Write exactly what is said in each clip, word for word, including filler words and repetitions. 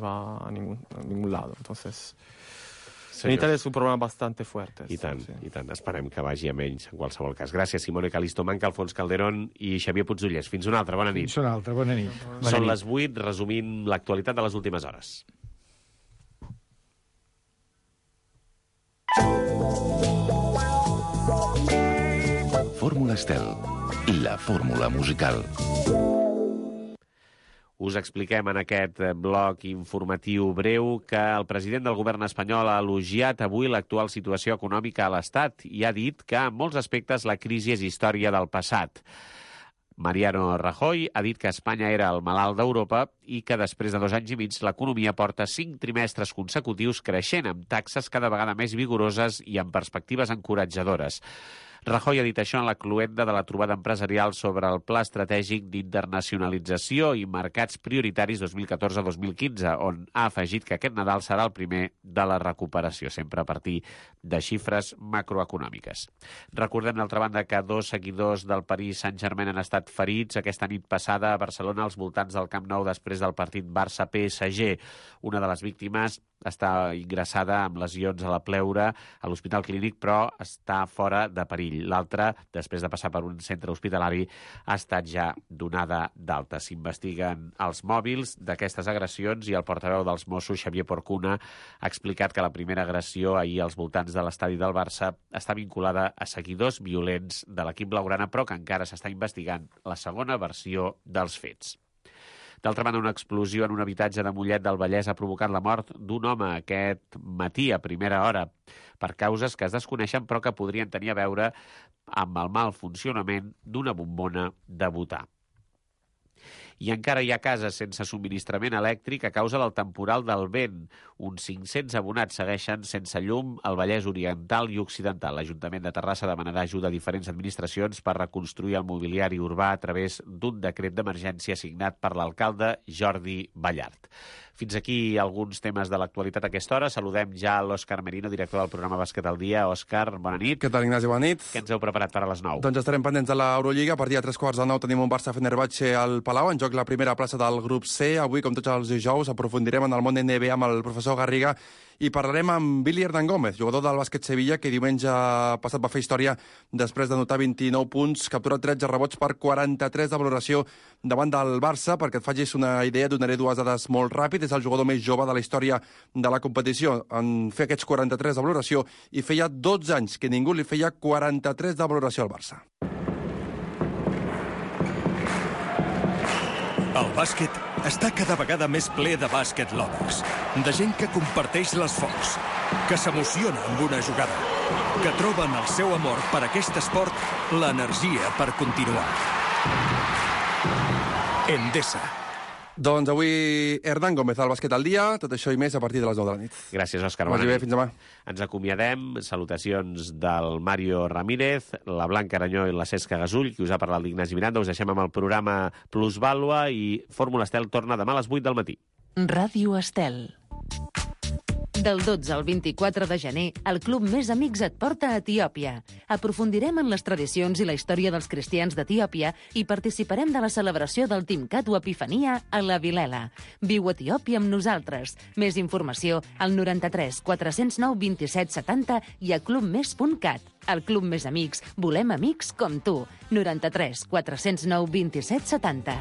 va a ningún, a ningún lado. Entonces, Seriós. en Italia es un problema bastante fuerte. I tant, sí. i tant. Esperem que vagi a menys, en qualsevol cas. Gràcies, Simone Calisto Manca, Alfons Calderón i Xavier Puigdollers. Fins una altra, bona nit. Fins una altra, bona nit. Bona Són nit. les vuit, resumint l'actualitat de les últimes hores. Fórmula Estel, la fórmula musical. Us expliquem en aquest bloc informatiu breu que el president del govern espanyol ha elogiat avui l'actual situació econòmica a l'Estat i ha dit que en molts aspectes la crisi és història del passat. Mariano Rajoy ha dit que Espanya era el malalt d'Europa i que després de dos anys i mig l'economia porta cinc trimestres consecutius creixent amb taxes cada vegada més vigoroses i amb perspectives encoratjadores. Rajoy ha dit això en la cloenda de la trobada empresarial sobre el Pla Estratègic d'Internacionalització i Mercats Prioritaris dos mil catorze dos mil quinze, on ha afegit que aquest Nadal serà el primer de la recuperació, sempre a partir de xifres macroeconòmiques. Recordem, d'altra banda, que dos seguidors del Paris Saint-Germain han estat ferits aquesta nit passada a Barcelona als voltants del Camp Nou després del partit Barça-P S G. Una de les víctimes està ingressada amb lesions a la pleura a l'Hospital Clínic, però està fora de perill. L'altra, després de passar per un centre hospitalari, ha estat ja donada d'alta. S'investiguen els mòbils d'aquestes agressions i el portaveu dels Mossos, Xavier Porcuna, ha explicat que la primera agressió ahir als voltants de l'estadi del Barça està vinculada a seguidors violents de l'equip blaugrana, però que encara s'està investigant la segona versió dels fets. D'altra banda, una explosió en un habitatge de Mollet del Vallès ha provocat la mort d'un home aquest matí a primera hora per causes que es desconeixen però que podrien tenir a veure amb el mal funcionament d'una bombona de butà. I encara hi ha cases sense subministrament elèctric a causa del temporal del vent. Uns cinc-cents abonats segueixen sense llum al Vallès Oriental i Occidental. L'Ajuntament de Terrassa demanarà ajuda a diferents administracions per reconstruir el mobiliari urbà a través d'un decret d'emergència signat per l'alcalde Jordi Ballart. Fins aquí alguns temes de l'actualitat a aquesta hora. Saludem ja l'Òscar Merino, director del programa Bàsquet al dia. Òscar, bona nit. Què tal, Ignasi? Bona nit. Què ens heu preparat per a les nou? Doncs estarem pendents de l'Eurolliga. A partir de tres quarts de nou tenim un Barça-Fenerbahçe al Palau, en joc la primera plaça del grup C. Avui, com tots els dijous, aprofundirem en el món N B A amb el professor Garriga i parlarem amb Billy Hernán Gómez, jugador del bàsquet Sevilla, que diumenge passat va fer història després d'anotar vint-i-nou punts, capturar tretze rebots per quaranta-tres de valoració davant del Barça. Perquè et facis una idea, donaré dues dades molt ràpid. És el jugador més jove de la història de la competició en fer aquests quaranta-tres de valoració i feia dotze anys que ningú li feia quaranta-tres de valoració al Barça. El bàsquet està cada vegada més ple de bàsquet lovers, de gent que comparteix l'esforç, que s'emociona amb una jugada, que troba en el seu amor per aquest esport l'energia per continuar. Endesa. Doncs avui Hernán Gómez al Bàsquet al dia, tot això i més a partir de les nou de la nit. Gràcies, Òscar. Vagi bé, fins demà. Ens acomiadem. Salutacions del Mario Ramírez, la Blanca Aranyó i la Cesca Gasull, qui us ha parlat l'Ignasi Miranda. Us deixem amb el programa Plusvàlua i Fórmula Estel torna demà a les vuit del matí. Ràdio Estel. Del dotze al vint-i-quatre de gener, el Club Més Amics et porta a Etiòpia. Aprofundirem en les tradicions i la història dels cristians d'Etiòpia i participarem de la celebració del Timcat o Epifania a la Vilela. Viu a Etiòpia amb nosaltres. Més informació al noranta-tres quatre-cents nou vint-i-set setanta i a clubmés punt cat. Al Club Més Amics volem amics com tu. noranta-tres quatre-cents nou vint-i-set setanta.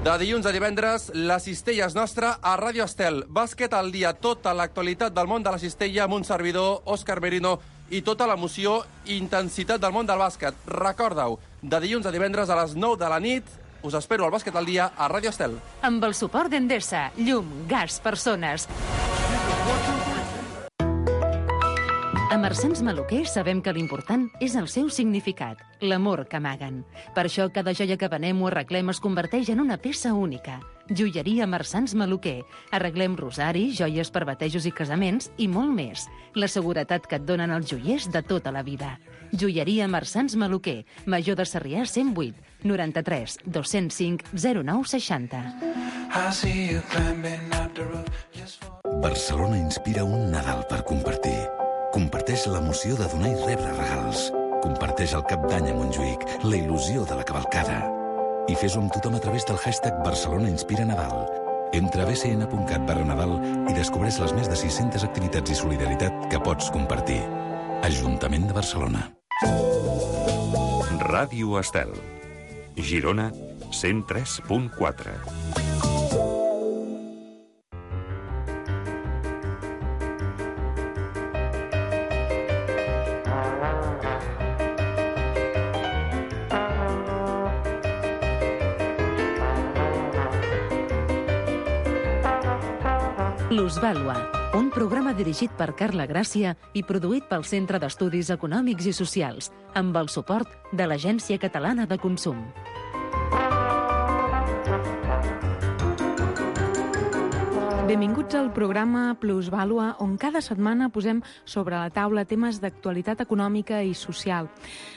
De dilluns a divendres, la cistella és nostra a Ràdio Estel. Bàsquet al dia, tota l'actualitat del món de la cistella amb un servidor, Òscar Merino, i tota l'emoció i intensitat del món del bàsquet. Recorda-ho, de dilluns a divendres a les nou de la nit, us espero al Bàsquet al dia a Ràdio Estel. Amb el suport d'Endesa, llum, gas, persones. A Marsans Maluquer sabem que l'important és el seu significat, l'amor que amaguen. Per això cada joia que venem o arreglem es converteix en una peça única. Joieria Marsans Maluquer. Arreglem rosaris, joies per batejos i casaments i molt més. La seguretat que et donen els joiers de tota la vida. Joieria Marsans Maluquer. Major de Sarrià cent vuit, noranta-tres dos-cents cinc zero nou seixanta. Barcelona inspira un Nadal per compartir. Comparteix l'emoció de donar i rebre regals. Comparteix el Cap d'Any a Montjuïc, la il·lusió de la cavalcada. i fes-ho amb tothom a través del hashtag Barcelona Inspira Nadal. Entra a b c n punt cat barra Nadal i descobreix les més de sis-centes activitats i solidaritat que pots compartir. Ajuntament de Barcelona. Ràdio Estel. Girona, cent tres punt quatre. Plusvàlua, un programa dirigit per Carla Gràcia i produït pel Centre d'Estudis Econòmics i Socials, amb el suport de l'Agència Catalana de Consum. Benvinguts al programa Plusvàlua, on cada setmana posem sobre la taula temes d'actualitat econòmica i social.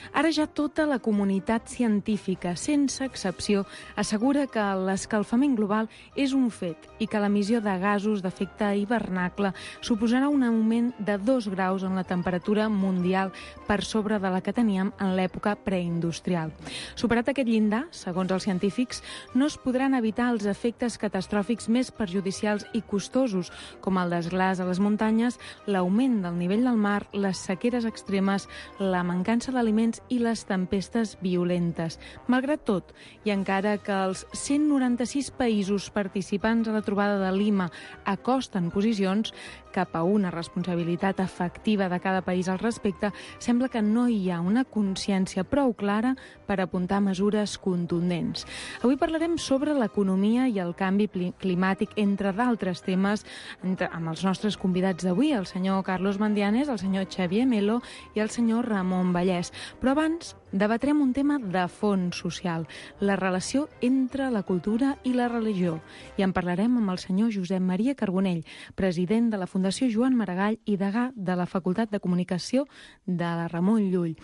Ara ja tota la comunitat científica, sense excepció, assegura que l'escalfament global és un fet i que l'emissió de gasos d'efecte hivernacle suposarà un augment de dos graus en la temperatura mundial per sobre de la que teníem en l'època preindustrial. Superat aquest llindar, segons els científics, no es podran evitar els efectes catastròfics més perjudicials i costosos, com el desglàs a les muntanyes, l'augment del nivell del mar, les sequeres extremes, la mancança d'aliments i les tempestes violentes. Malgrat tot, i encara que els cent noranta-sis països participants a la trobada de Lima acosten posicions cap a una responsabilitat efectiva de cada país al respecte, sembla que no hi ha una consciència prou clara per apuntar mesures contundents. Avui parlarem sobre l'economia i el canvi climàtic, entre d'altres temes, entre, amb els nostres convidats d'avui, el senyor Carlos Mandianes, el senyor Xavier Melo i el senyor Ramon Vallès. Però abans debatrem un tema de fons social, la relació entre la cultura i la religió. I en parlarem amb el senyor Josep Maria Carbonell, president de la Fundació Joan Maragall i degà de la Facultat de Comunicació de la Ramon Llull.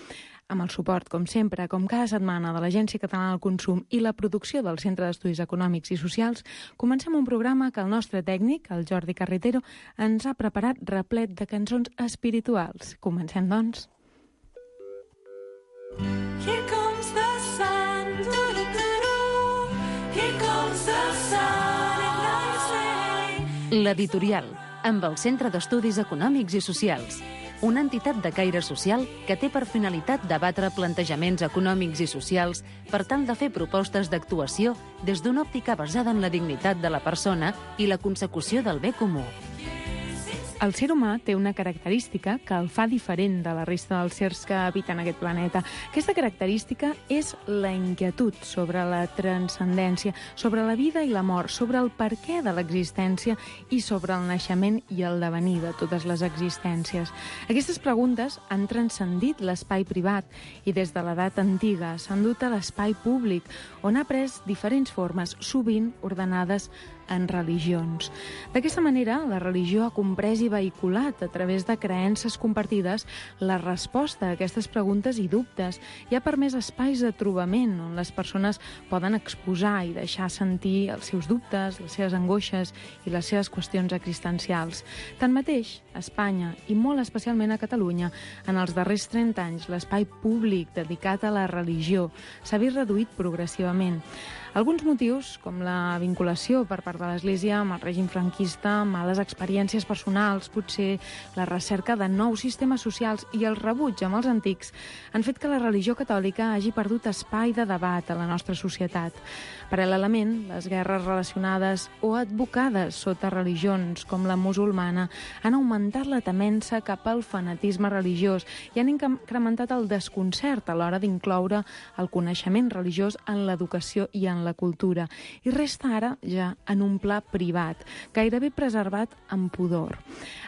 Amb el suport, com sempre, com cada setmana, de l'Agència Catalana del Consum i la producció del Centre d'Estudis Econòmics i Socials, comencem un programa que el nostre tècnic, el Jordi Carretero, ens ha preparat replet de cançons espirituals. Comencem, doncs. Here comes the sun, doo-doo-doo-doo. Here comes the sun, and nice. L'editorial, amb el Centre d'Estudis Econòmics i Socials, una entitat de caire social que té per finalitat debatre plantejaments econòmics i socials per tal de fer propostes d'actuació des d'una òptica basada en la dignitat de la persona i la consecució del bé comú. El ser humà té una característica que el fa diferent de la resta dels sers que habiten aquest planeta. Aquesta característica és la inquietud sobre la transcendència, sobre la vida i la mort, sobre el perquè de l'existència i sobre el naixement i el devenir de totes les existències. Aquestes preguntes han transcendit l'espai privat i des de l'edat antiga s'han dut a l'espai públic, on ha pres diferents formes, sovint ordenades en religions. D'aquesta manera, la religió ha comprès i vehiculat a través de creences compartides la resposta a aquestes preguntes i dubtes i ha permès espais de trobament on les persones poden exposar i deixar sentir els seus dubtes, les seves angoixes i les seves qüestions existencials. Tanmateix, a Espanya i molt especialment a Catalunya, en els darrers trenta anys, l'espai públic dedicat a la religió s'ha vist reduït progressivament. Alguns motius, com la vinculació per part de l'Església amb el règim franquista, males experiències personals, potser la recerca de nous sistemes socials i el rebuig amb els antics, han fet que la religió catòlica hagi perdut espai de debat a la nostra societat. Paral·lelament, les guerres relacionades o advocades sota religions com la musulmana han augmentat la temença cap al fanatisme religiós i han incrementat el desconcert a l'hora d'incloure el coneixement religiós en l'educació i en la cultura. I resta ara ja en un pla privat, gairebé preservat amb pudor.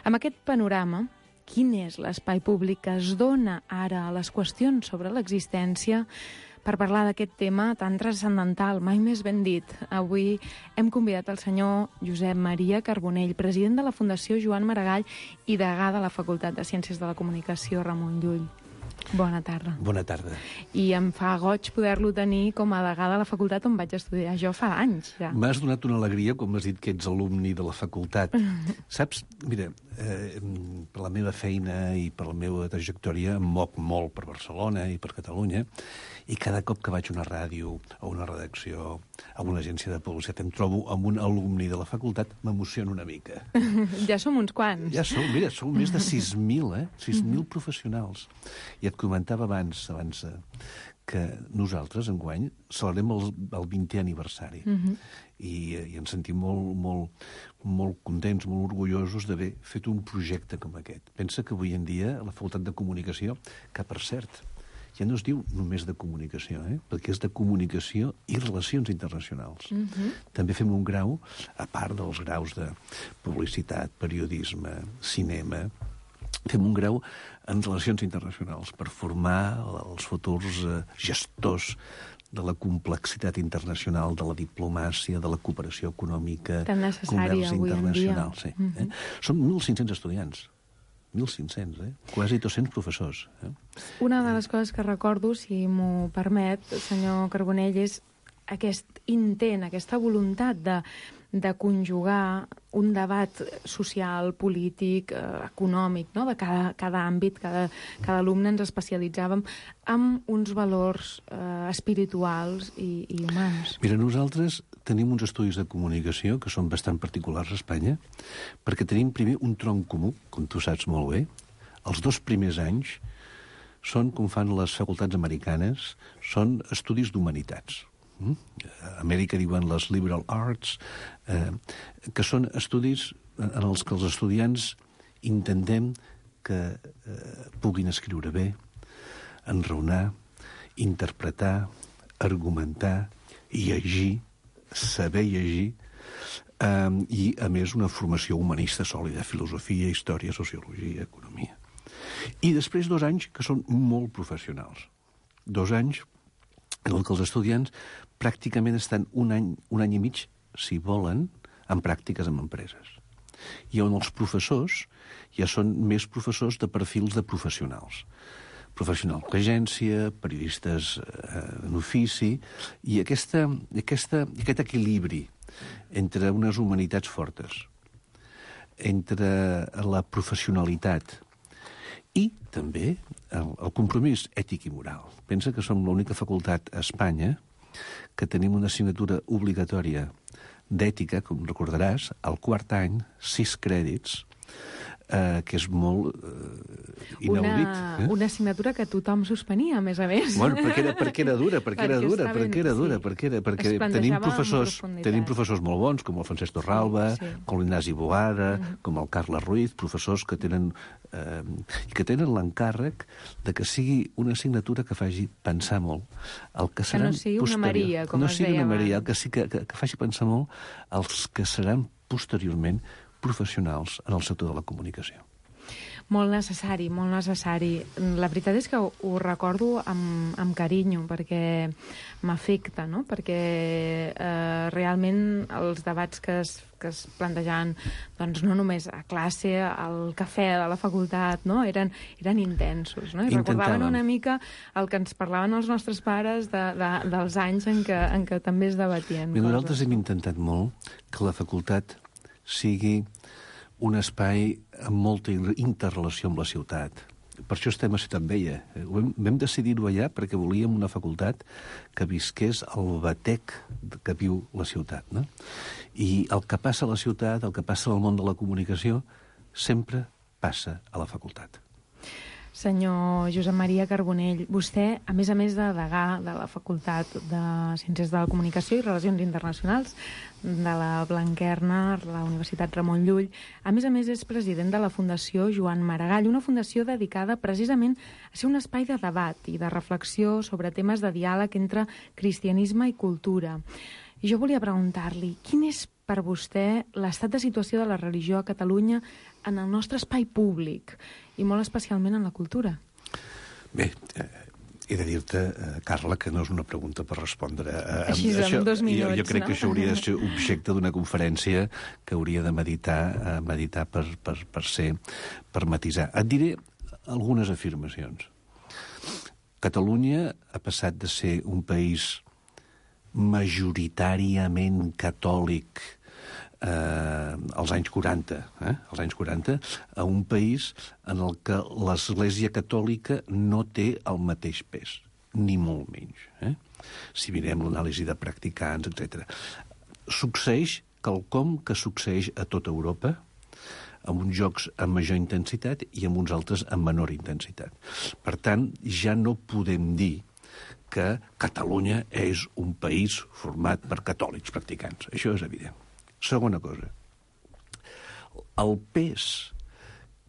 Amb aquest panorama, quin és l'espai públic que es dona ara a les qüestions sobre l'existència? Per parlar d'aquest tema tan transcendental, mai més ben dit, avui hem convidat el senyor Josep Maria Carbonell, president de la Fundació Joan Maragall i degà de la Facultat de Ciències de la Comunicació Ramon Llull. Bona tarda. Bona tarda. I em fa goig poder-lo tenir com a degà de la facultat on vaig estudiar jo fa anys, ja. M'has donat una alegria quan m'has dit que ets alumni de la facultat. Saps, mira, eh, per la meva feina i per la meva trajectòria em moc molt per Barcelona i per Catalunya, i cada cop que vaig a una ràdio, a una redacció, a una agència de publicitat, em trobo amb un alumni de la facultat, m'emociona una mica. Ja som uns quants. Ja som, mira, som més de sis mil, eh? sis mil professionals. I et comentava abans, abans eh, que nosaltres, enguany, celebrem el, el vintè aniversari. Uh-huh. I, i ens sentim molt, molt, molt contents, molt orgullosos d'haver fet un projecte com aquest. Pensa que avui en dia la Facultat de Comunicació, que per cert, ja no es diu només de comunicació, eh? perquè és de comunicació i relacions internacionals. Uh-huh. També fem un grau, a part dels graus de publicitat, periodisme, cinema, fem un grau en relacions internacionals per formar els futurs eh, gestors de la complexitat internacional, de la diplomàcia, de la cooperació econòmica, tan necessària avui en dia. Sí, eh? Són mil cinc-cents estudiants. mil cinc-cents, eh? Quasi dos-cents professors. Eh? Una de les coses que recordo, si m'ho permet, senyor Carbonell, és aquest intent, aquesta voluntat de, de conjugar un debat social, polític, eh, econòmic, no? de cada, cada àmbit, cada, cada alumne ens especialitzàvem amb uns valors eh, espirituals i, i humans. Mira, nosaltres tenim uns estudis de comunicació que són bastant particulars a Espanya, perquè tenim primer un tronc comú, com tu saps molt bé. Els dos primers anys són, com fan les facultats americanes, són estudis d'humanitats. Mm? A Amèrica diuen les liberal arts, eh, que són estudis en els que els estudiants intentem que eh, puguin escriure bé, enraonar, interpretar, argumentar, llegir, saber llegir, eh, i, a més, una formació humanista sòlida, filosofia, història, sociologia, economia. I després dos anys que són molt professionals. Dos anys en què els estudiants pràcticament estan un any, un any i mig, si volen, en pràctiques en empreses. I on els professors ja són més professors de perfils de professionals. Professional d'agència, periodistes eh, en ofici, i aquesta, aquesta, aquest equilibri entre unes humanitats fortes, entre la professionalitat i també el, el compromís ètic i moral. Pensa que som l'única facultat a Espanya que tenim una assignatura obligatòria d'ètica, com recordaràs, al quart any, sis crèdits, eh, que és molt eh, inaudit. Una, eh? una assignatura que tothom suspenia, a més a més. Bueno, perquè era, perquè era dura, perquè, Perquè era dura, està perquè ben- era dura, sí. perquè, era, perquè Es plantejava tenim amb professors, profunditat. tenim professors molt bons, com el Francesc Torralba, Sí, sí. com l'Ignasi Boada, com el Carles Ruiz, professors que tenen eh, que tenen l'encàrrec de que sigui una assignatura que faci pensar molt el que seran no sigui una posterior- Maria, com no es sigui deia una Maria, abans. que, sí que, que, que faci pensar molt els que seran posteriorment professionals en el sector de la comunicació. Molt necessari, molt necessari. La veritat és que ho, ho recordo amb, amb carinyo, perquè m'afecta, no? Perquè eh, realment els debats que es, que es plantejaven, doncs no només a classe, al cafè de la facultat, no? Eren, eren intensos, no? I recordaven Intentàvem. una mica el que ens parlaven els nostres pares de, de, dels anys en què, en què també es debatien. Bé, coses. nosaltres hem intentat molt que la facultat sigui un espai amb molta interrelació amb la ciutat. Per això estem a Ciutat Vella. Vam, vam decidir-ho allà perquè volíem una facultat que visqués el batec que viu la ciutat, no? I el que passa a la ciutat, el que passa al món de la comunicació, sempre passa a la facultat. Senyor Josep Maria Carbonell, vostè, a més a més de degà de la Facultat de Ciències de la Comunicació i Relacions Internacionals de la Blanquerna, la Universitat Ramon Llull, a més a més és president de la Fundació Joan Maragall, una fundació dedicada precisament a ser un espai de debat i de reflexió sobre temes de diàleg entre cristianisme i cultura. I jo volia preguntar-li, quin és per vostè l'estat de situació de la religió a Catalunya en el nostre espai públic i molt especialment en la cultura? Bé, eh, he de dir-te, eh, Carla, que no és una pregunta per respondre. Eh, Així, en això, dos minuts, jo, jo crec no? que això hauria de ser objecte d'una conferència que hauria de meditar, eh, meditar per, per, per ser, per matisar. Et diré algunes afirmacions. Catalunya ha passat de ser un país majoritàriament catòlic eh, als anys quaranta, eh, als anys quaranta, a un país en el que l'Església Catòlica no té el mateix pes, ni molt menys. Eh? Si mirem l'anàlisi de practicants, etcètera. Succeeix quelcom que succeeix a tota Europa, amb uns jocs amb major intensitat i amb uns altres amb menor intensitat. Per tant, ja no podem dir que Catalunya és un país format per catòlics practicants. Això és evident. Segona cosa, el pes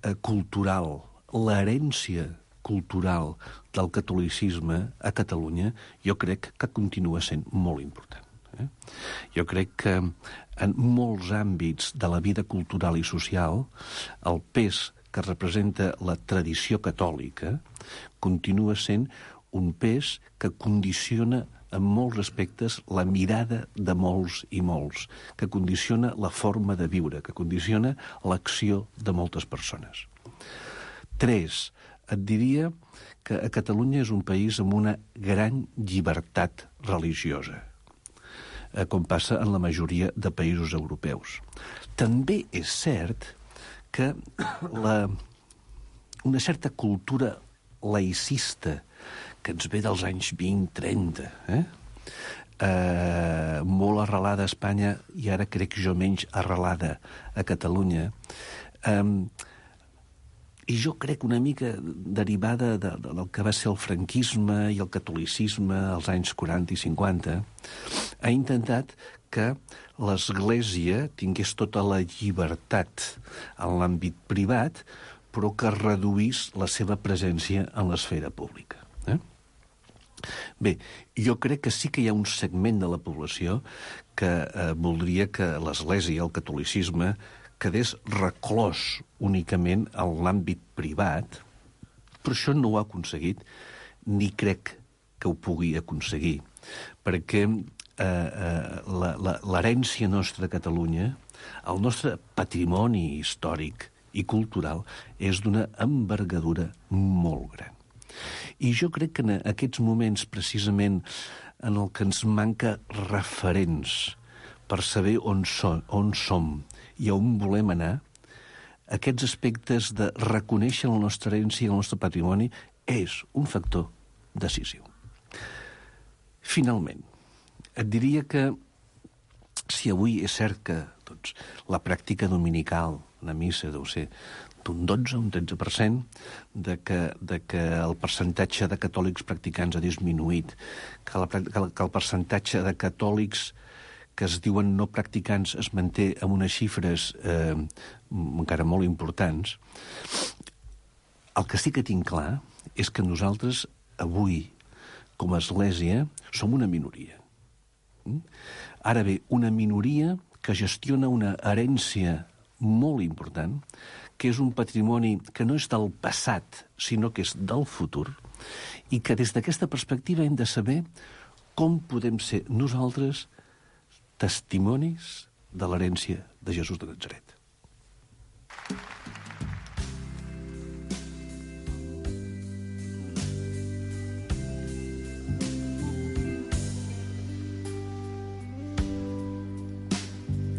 eh, cultural, l'herència cultural del catolicisme a Catalunya, jo crec que continua sent molt important. Eh? Jo crec que en molts àmbits de la vida cultural i social, el pes que representa la tradició catòlica continua sent un pes que condiciona en molts aspectes la mirada de molts i molts, que condiciona la forma de viure, que condiciona l'acció de moltes persones. Tres, et diria que a Catalunya és un país amb una gran llibertat religiosa, com passa en la majoria de països europeus. També és cert que la, una certa cultura laïcista que ens ve dels anys vint trenta, eh? Eh, molt arrelada a Espanya i ara crec jo menys arrelada a Catalunya, eh, i jo crec una mica derivada de, de, del que va ser el franquisme i el catolicisme als anys quaranta i cinquanta, ha intentat que l'Església tingués tota la llibertat en l'àmbit privat, però que reduís la seva presència en l'esfera pública. Eh? Bé, jo crec que sí que hi ha un segment de la població que eh, voldria que l'Església, el catolicisme, quedés reclòs únicament en l'àmbit privat, però això no ho ha aconseguit, ni crec que ho pugui aconseguir, perquè eh, eh, l'herència nostra a Catalunya, el nostre patrimoni històric i cultural, és d'una envergadura molt gran. I jo crec que en aquests moments, precisament, en el que ens manca referents per saber on, so, on som i on volem anar, aquests aspectes de reconèixer la nostra herència i el nostre patrimoni és un factor decisiu. Finalment, et diria que si avui és cert que doncs, la pràctica dominical, una missa deu ser d'un dotze o un tretze per cent, de que, de que el percentatge de catòlics practicants ha disminuït, que, la, que, el, que el percentatge de catòlics que es diuen no practicants es manté amb unes xifres eh, encara molt importants, el que sí que tinc clar és que nosaltres avui, com a Església, som una minoria. Ara bé, una minoria que gestiona una herència molt important, que és un patrimoni que no és del passat, sinó que és del futur, i que des d'aquesta perspectiva hem de saber com podem ser nosaltres testimonis de l'herència de Jesús de Natzaret.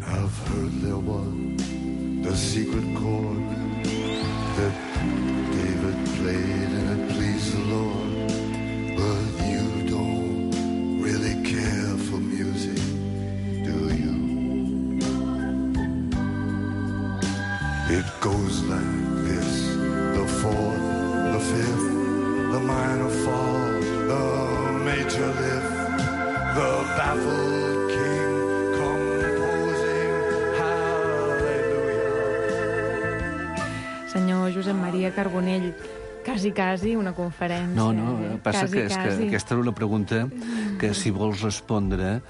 I've heard there was the secret chord that David played and it pleased the Lord, but you don't really care for music, do you? It goes like this: the fourth, the fifth, the minor fall, the major lift, the baffled king composing hallelujah. Senyor Josep Maria Carbonell, quasi, quasi una conferència. No, no, eh? passa quasi, que, és quasi. que aquesta era una pregunta que, si vols respondre,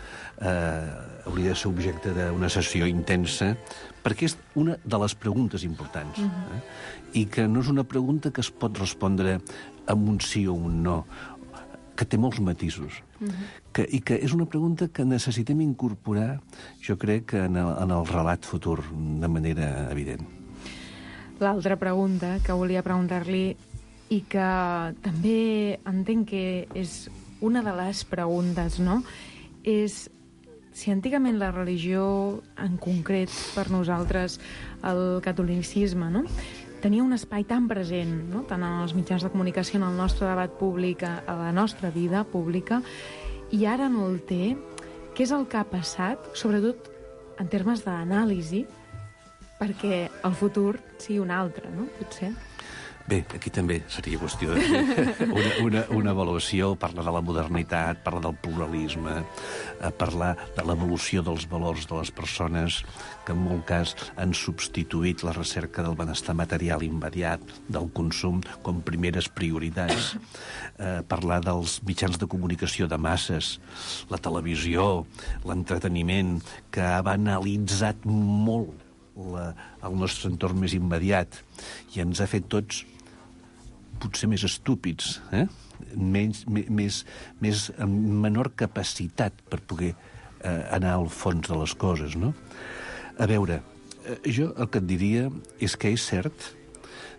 eh, hauria de ser objecte d'una sessió intensa, perquè és una de les preguntes importants. Mhm. eh? I que no és una pregunta que es pot respondre amb un sí o un no, que té molts matisos. Mhm. Que, I que és una pregunta que necessitem incorporar, jo crec, en el, en el relat futur, de manera evident. L'altra pregunta que volia preguntar-li i que també entenc que és una de les preguntes, no? És si antigament la religió, en concret per nosaltres el catolicisme, no?, tenia un espai tan present, no?, tant en els mitjans de comunicació, en el nostre debat públic, a la nostra vida pública, i ara no el té. Què és el que ha passat, sobretot en termes d'anàlisi, perquè el futur sigui un altre, no?, potser? Bé, aquí també seria qüestió de fer una, una, una avaluació, parlar de la modernitat, parlar del pluralisme, eh, parlar de l'evolució dels valors de les persones, que en molt cas han substituït la recerca del benestar material immediat, del consum, com primeres prioritats, eh, parlar dels mitjans de comunicació de masses, la televisió, l'entreteniment, que ha banalitzat molt la, el nostre entorn més immediat i ens ha fet tots potser més estúpids, eh? Menys, més, més, amb menor capacitat per poder eh, anar al fons de les coses, no? A veure, eh, jo el que et diria és que és cert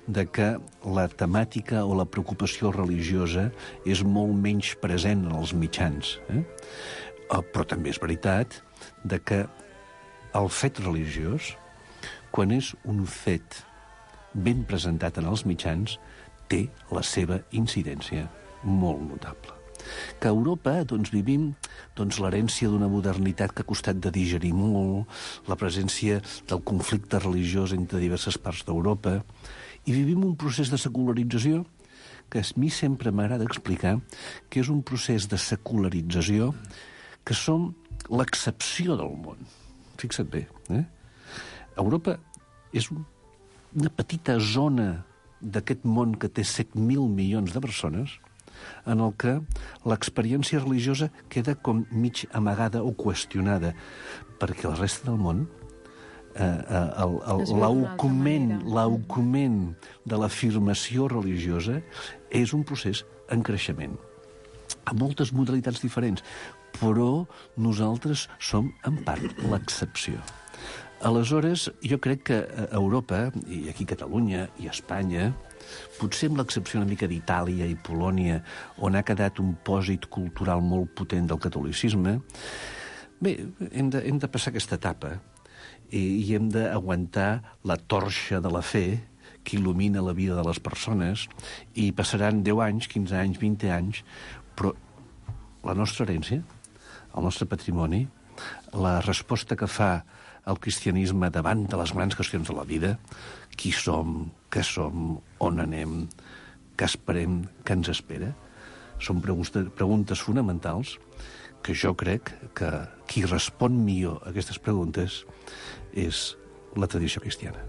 de que la temàtica o la preocupació religiosa és molt menys present en els mitjans, eh? Però també és veritat de que el fet religiós, quan és un fet ben presentat en els mitjans, té la seva incidència molt notable. Que a Europa doncs, vivim doncs, l'herència d'una modernitat que ha costat de digerir molt, la presència del conflicte religiós entre diverses parts d'Europa, i vivim un procés de secularització que a mi sempre m'agrada explicar que és un procés de secularització que som l'excepció del món. Fixa't bé, eh? Europa és un, una petita zona d'aquest món que té set mil milions de persones, en el que l'experiència religiosa queda com mig amagada o qüestionada, perquè la resta del món, eh, eh, l'augment l'augment de l'afirmació religiosa és un procés en creixement, amb moltes modalitats diferents, però nosaltres som, en part, l'excepció. Aleshores, jo crec que a Europa, i aquí a Catalunya i a Espanya, potser amb l'excepció una mica d'Itàlia i Polònia, on ha quedat un pòsit cultural molt potent del catolicisme, bé, hem de, hem de passar aquesta etapa i, i hem d'aguantar la torxa de la fe que il·lumina la vida de les persones, i passaran deu anys, quinze anys, vint anys, però la nostra herència, el nostre patrimoni, la resposta que fa el cristianisme davant de les grans qüestions de la vida, qui som, què som, on anem, què esperem, què ens espera, són preguntes, preguntes fonamentals que jo crec que qui respon millor a aquestes preguntes és la tradició cristiana.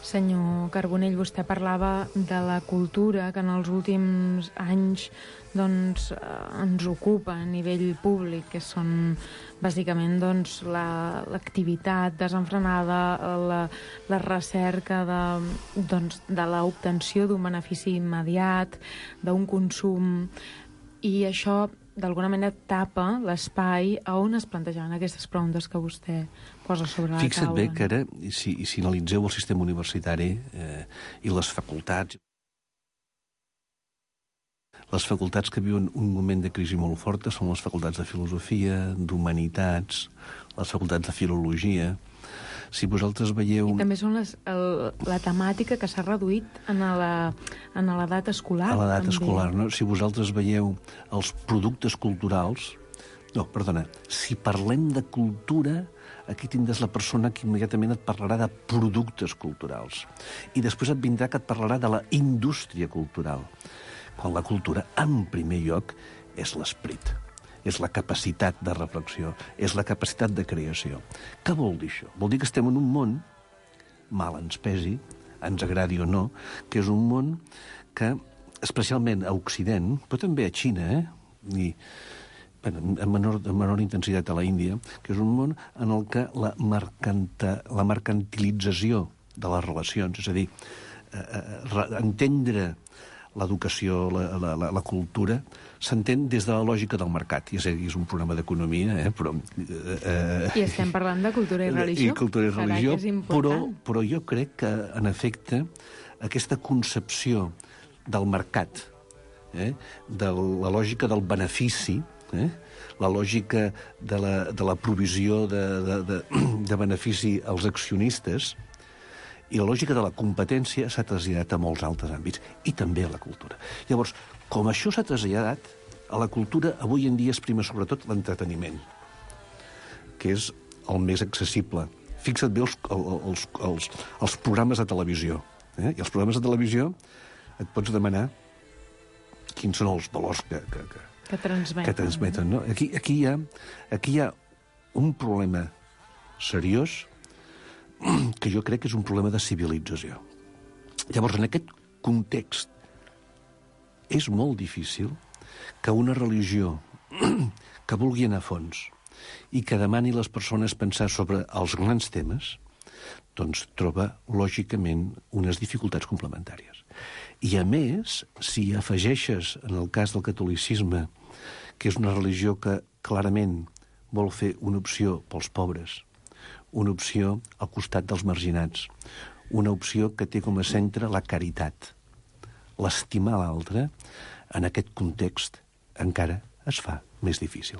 Senyor Carbonell, vostè parlava de la cultura que en els últims anys doncs, ens ocupa a nivell públic, que són bàsicament doncs, l'activitat la, desenfrenada, la, la recerca de, doncs, de l'obtenció d'un benefici immediat, d'un consum, i això d'alguna manera tapa l'espai on es plantejaven aquestes preguntes que vostè posa sobre la Fixa't taula. Fixa't bé que ara, si, si analitzeu el sistema universitari eh, i les facultats, les facultats que viuen un moment de crisi molt forta són les facultats de filosofia, d'humanitats, les facultats de filologia. Si vosaltres veieu... I també són les, el, la temàtica que s'ha reduït en la, en l'edat escolar. A l'edat també. escolar, no? Si vosaltres veieu els productes culturals... No, perdona, si parlem de cultura, aquí tindràs la persona que immediatament et parlarà de productes culturals. I després et vindrà que et parlarà de la indústria cultural. Quan la cultura, en primer lloc, és l'esperit. És la capacitat de reflexió, és la capacitat de creació. Què vol dir això? Vol dir que estem en un món, mal ens pesi, ens agradi o no, que és un món que, especialment a Occident, però també a Xina, eh? I, bueno, en menor, en menor intensitat a la Índia, que és un món en el que la, mercanta, la mercantilització de les relacions, és a dir, eh, eh, entendre l'educació, la, la, la, la cultura, s'entén des de la lògica del mercat. Ja sé que és un programa d'economia, eh, però... Eh, I estem parlant de cultura i religió. I cultura i religió, Carai, però, però jo crec que, en efecte, aquesta concepció del mercat, eh? de la lògica del benefici, eh? la lògica de la, de la provisió de, de, de, de benefici als accionistes, i la lògica de la competència s'ha traslladat a molts altres àmbits, i també a la cultura. Llavors, com això s'ha traslladat, a la cultura avui en dia es prima sobretot l'entreteniment, que és el més accessible. Fixa't bé els, els, els, els programes de televisió. Eh? I els programes de televisió et pots demanar quins són els valors que, que, que, que transmeten. Que transmeten no? aquí, aquí, hi ha, aquí hi ha un problema seriós que jo crec que és un problema de civilització. Llavors, en aquest context, és molt difícil que una religió que vulgui anar a fons i que demani a les persones pensar sobre els grans temes, doncs troba, lògicament, unes dificultats complementàries. I, a més, si afegeixes, en el cas del catolicisme, que és una religió que clarament vol fer una opció pels pobres, una opció al costat dels marginats, una opció que té com a centre la caritat, l'estimar l'altre, en aquest context encara es fa més difícil.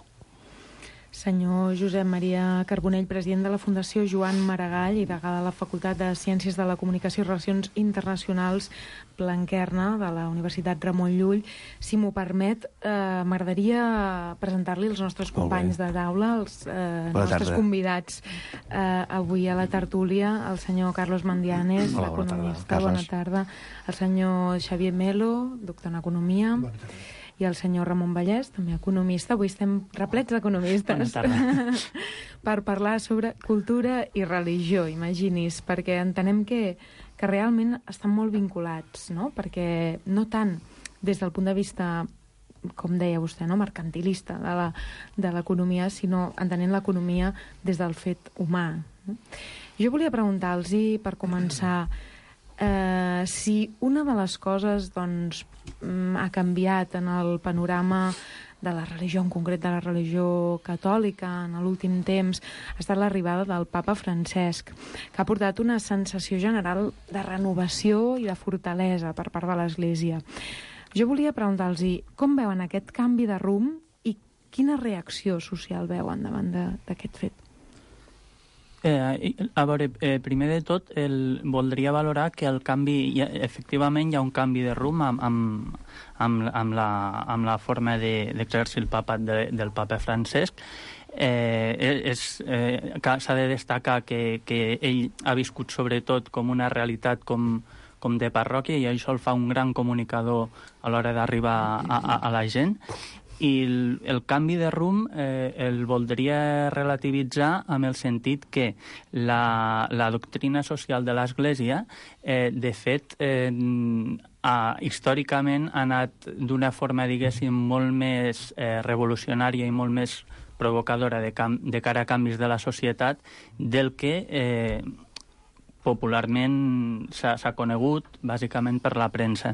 Senyor Josep Maria Carbonell, president de la Fundació Joan Maragall i degà de la Facultat de Ciències de la Comunicació i Relacions Internacionals Blanquerna de la Universitat Ramon Llull. Si m'ho permet, eh, m'agradaria presentar-li els nostres companys de taula, els eh, nostres tarda. convidats eh, avui a la tertúlia, el senyor Carlos Mandianes, Hola, l'economista. Bona tarda. El senyor Xavier Melo, doctor en Economia. Bona tarda. I el senyor Ramon Vallès, també economista. Avui estem replets d'economistes per parlar sobre cultura i religió, imagini's, perquè entenem que, que realment estan molt vinculats, no? Perquè no tant des del punt de vista, com deia vostè, no? mercantilista de la, de l'economia, sinó entenent l'economia des del fet humà. No? Jo volia preguntar-los, per començar, Uh, si una de les coses doncs, ha canviat en el panorama de la religió, en concret de la religió catòlica, en l'últim temps, ha estat l'arribada del papa Francesc, que ha portat una sensació general de renovació i de fortalesa per part de l'Església. Jo volia preguntar-los com veuen aquest canvi de rumb i quina reacció social veuen davant d'aquest fet. Eh, a veure, eh, primer de tot, el, voldria valorar que el canvi, ja, efectivament hi ha un canvi de rumb amb, amb, amb, amb, la, amb la forma d'exercir de, el papat de, del papa Francesc. Eh, és, eh, s'ha de destacar que, que ell ha viscut sobretot com una realitat com, com de parròquia, i això el fa un gran comunicador a l'hora d'arribar a, a, a la gent. I el, el canvi de rumb eh, el voldria relativitzar amb el sentit que la, la doctrina social de l'Església, eh, de fet, eh, ha, històricament ha anat d'una forma, diguéssim, molt més eh, revolucionària i molt més provocadora de, cam de cara a canvis de la societat del que eh, popularment s'ha conegut, bàsicament per la premsa.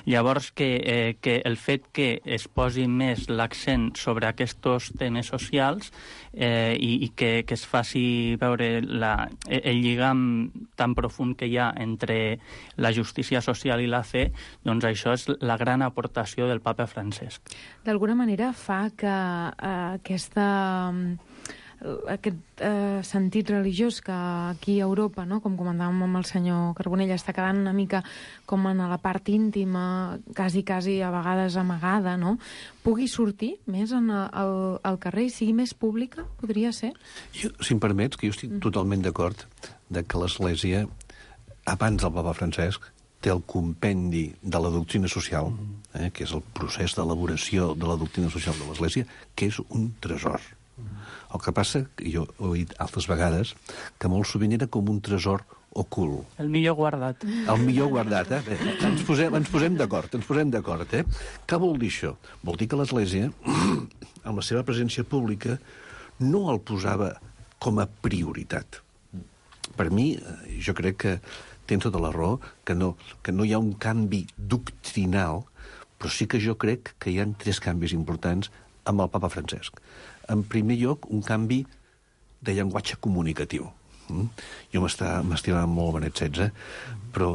Llavors, que, eh, que el fet que es posi més l'accent sobre aquests temes socials eh, i, i que, que es faci veure la, el lligam tan profund que hi ha entre la justícia social i la fe, doncs això és la gran aportació del papa Francesc. D'alguna manera fa que eh, aquesta... aquest eh, sentit religiós que aquí a Europa, no? Com comentàvem amb el senyor Carbonell, està quedant una mica com en la part íntima, quasi, quasi a vegades amagada, no? Pugui sortir més en el, el carrer i sigui més pública, podria ser? Jo, si em permets, que jo estic mm. totalment d'acord de que l'Església, abans del papa Francesc, té el compendi de la doctrina social, eh, que és el procés d'elaboració de la doctrina social de l'Església, que és un tresor. El que passa, que jo ho he dit altres vegades, que molt sovint era com un tresor ocult. El millor guardat. El millor guardat, eh? Bé, ens posem, ens posem d'acord, ens posem d'acord, eh? Què vol dir això? Vol dir que l'Església, amb la seva presència pública, no el posava com a prioritat. Per mi, jo crec que tens tota la raó, que no, que no hi ha un canvi doctrinal, però sí que jo crec que hi ha tres canvis importants amb el papa Francesc. En primer lloc, un canvi de llenguatge comunicatiu. Mm? Jo m'estimava molt Benet setze, però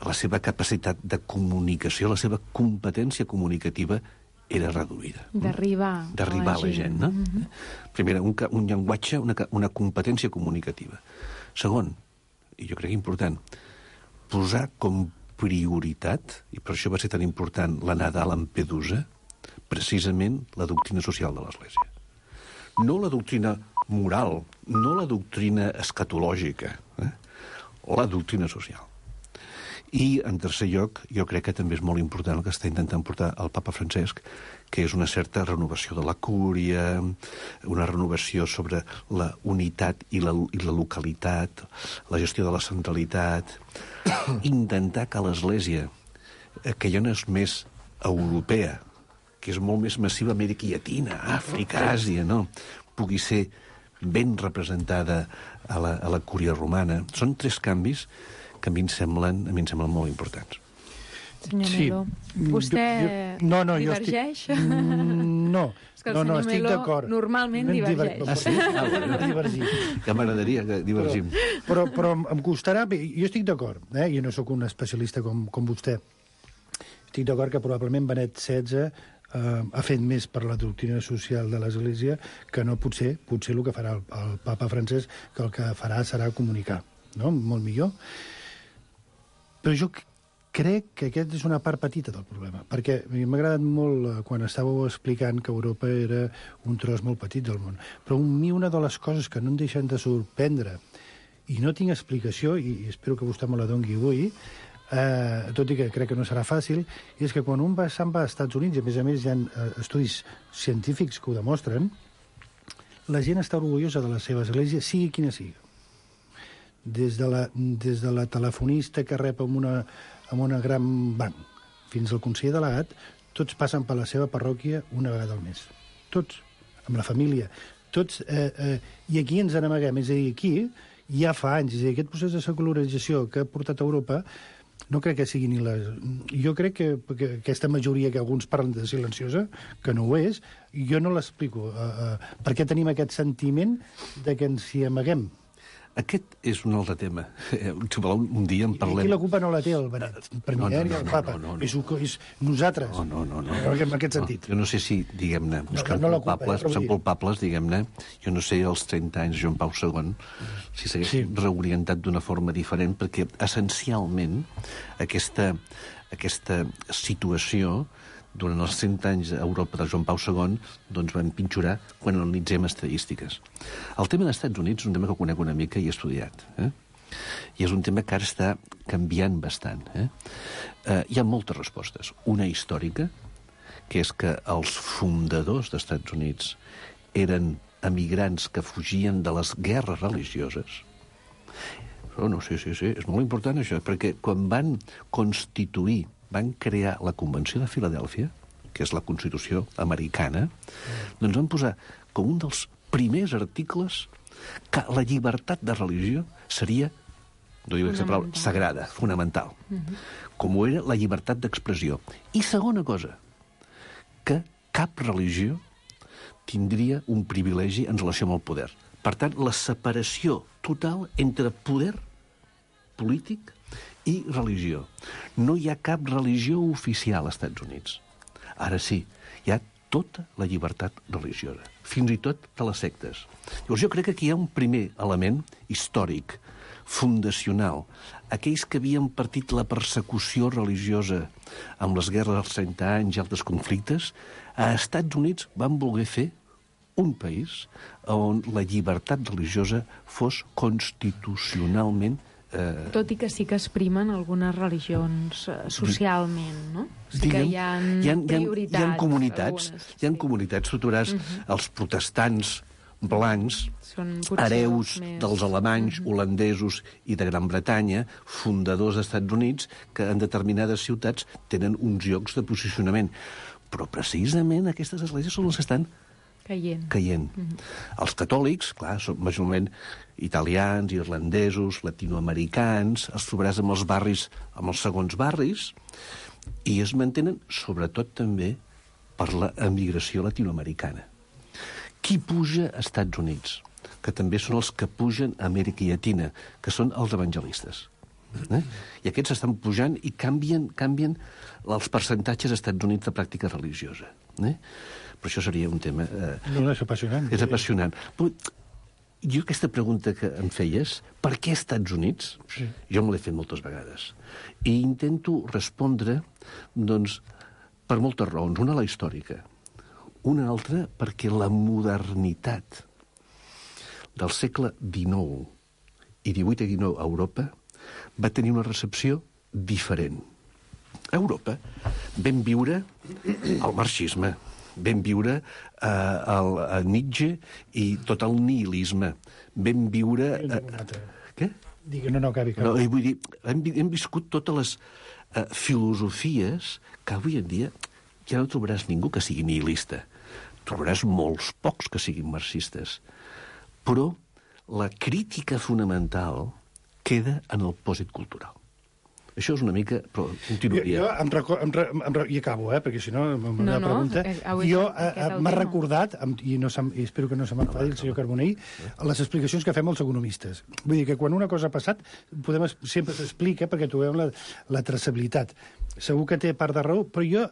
la seva capacitat de comunicació, la seva competència comunicativa era reduïda. D'arribar D'arribar a la gent, no? Mm-hmm. Primera, un, un llenguatge, una, una competència comunicativa. Segon, i jo crec important, posar com prioritat, i per això va ser tan important l'anada a Lampedusa, precisament la doctrina social de l'Església. No la doctrina moral, no la doctrina escatològica, eh? La doctrina social. I, en tercer lloc, jo crec que també és molt important el que està intentant portar el papa Francesc, que és una certa renovació de la cúria, una renovació sobre la unitat i la, i la localitat, la gestió de la centralitat, intentar que l'Església, que ja no és més europea, que és molt més massiva a Amèrica Llatina, Àfrica, Àsia, no? Pugui ser ben representada a la, a la cúria romana. Són tres canvis que a mi em semblen, a mi em semblen molt importants. Senyor Sí. Melo, vostè Jo- jo- no, no, jo divergeix? estic- Mm, no. És que el No, no, senyor estic Melo d'acord. normalment No em divergeix. diver- Ah, sí? Ah, bueno. Divergim. Ja m'agradaria que divergim. Però, però em- em costarà... bé, jo estic d'acord, eh? Jo no sóc un especialista com, com vostè. Estic d'acord que probablement Benet setze eh, ha fet més per la doctrina social de l'Església que no potser, potser el que farà el, el papa Francesc, que el que farà serà comunicar, no? Molt millor. Però jo c- crec que aquest és una part petita del problema, perquè a mi m'ha agradat molt eh, quan estàveu explicant que Europa era un tros molt petit del món. Però a mi una de les coses que no em deixen de sorprendre, i no tinc explicació, i, i espero que vostè me la doni avui, eh, tot i que crec que no serà fàcil, és que quan un va, se'n va als Estats Units, i a més a més hi ha eh, estudis científics que ho demostren, la gent està orgullosa de la seva església, sigui quina sigui. Des de la, des de la telefonista que rep amb una, amb una gran banc fins al conseller delegat, tots passen per la seva parròquia una vegada al mes. Tots, amb la família. Tots, eh, eh, I aquí ens n'amaguem. És a dir, aquí ja fa anys, és a dir, aquest procés de secularització que ha portat a Europa no crec que sigui ni la... Jo crec que, que aquesta majoria que alguns parlen de silenciosa, que no ho és, jo no l'explico. Uh, uh, per què tenim aquest sentiment de que ens hi amaguem? Aquest és un altre tema. Eh, Si voleu, un dia en I parlem. aquí la culpa no la té el Benet, el Premier No, no, i no, el no, Papa. no, no, no. És, un- és nosaltres. No, no, no. no. En aquest sentit. No, jo no sé si, diguem-ne, buscant no la culpa, culpables, però vull buscant dir- culpables, diguem-ne, jo no sé, als trenta anys de Joan Pau segon, si s'hagués Sí. reorientat d'una forma diferent, perquè essencialment aquesta, aquesta situació durant els cent anys a Europa de Joan Pau segon doncs va empitjorar quan analitzem estadístiques. El tema dels Estats Units és un tema que conec una mica i he estudiat, eh? I és un tema que ara està canviant bastant. Eh? Eh, hi ha moltes respostes. Una històrica, que és que els fundadors dels Estats Units eren emigrants que fugien de les guerres religioses. Oh, no, sí, sí, sí, és molt important això, perquè quan van constituir, van crear la Convenció de Filadèlfia, que és la Constitució americana, doncs van posar com un dels primers articles que la llibertat de religió seria, no dic aquesta paraula, sagrada, fonamental, com ho era la llibertat d'expressió. I segona cosa, que cap religió tindria un privilegi en relació amb el poder. Per tant, la separació total entre poder polític i religió. No hi ha cap religió oficial als Estats Units. Ara sí, hi ha tota la llibertat religiosa, fins i tot de les sectes. Llavors jo crec que aquí hi ha un primer element històric, fundacional. Aquells que havien partit la persecució religiosa amb les guerres dels trenta anys i altres conflictes, a Estats Units van voler fer un país on la llibertat religiosa fos constitucionalment eh, Tot i que sí que es primen algunes religions eh, socialment, no? Sí que diguem, hi ha hi ha, prioritats. hi ha comunitats, algunes, hi ha comunitats, tu trobaràs els protestants blancs, Són potser hereus els més- dels alemanys, holandesos i de Gran Bretanya, fundadors dels Estats Units, que en determinades ciutats tenen uns llocs de posicionament. Però precisament aquestes esglésies són les que estan Caient. caient. Els catòlics, clar, són majorment italians, irlandesos, latinoamericans, els trobaràs amb els barris, amb els segons barris, i es mantenen, sobretot també, per la emigració latinoamericana. Qui puja als Estats Units? Que també són els que pugen a Amèrica Llatina, que són els evangelistes. Eh? I aquests estan pujant i canvien, canvien els percentatges als Estats Units de pràctica religiosa. Eh? Però això seria un tema... Eh... No, no, és apassionant. És apassionant. Però jo aquesta pregunta que em feies, per què Estats Units? Sí. Jo me l'he fet moltes vegades. I intento respondre, doncs, per moltes raons. Una, la històrica. Una altra, perquè la modernitat del segle dinou i divuit i dinou a Europa va tenir una recepció diferent. A Europa vam viure el marxisme, vam viure eh, el, el Nietzsche i tot el nihilisme. Vam viure... Eh, què? Digui, no, no, acabi. No, vull dir, hem, hem viscut totes les eh, filosofies que avui en dia ja no trobaràs ningú que sigui nihilista. Trobaràs molts pocs que siguin marxistes. Però la crítica fonamental queda en el pòsit cultural. Això és una mica... Però continuaria. Jo, jo em record, em, re, em re, I acabo, eh, perquè si no... No, no, pregunta. és, jo eh, m'ha recordat, i, no i espero que no se m'enfadi el senyor Carbonell, les explicacions que fem els economistes. Vull dir que quan una cosa ha passat, podem, sempre s'explica perquè trobem la, la traçabilitat. Segur que té part de raó, però jo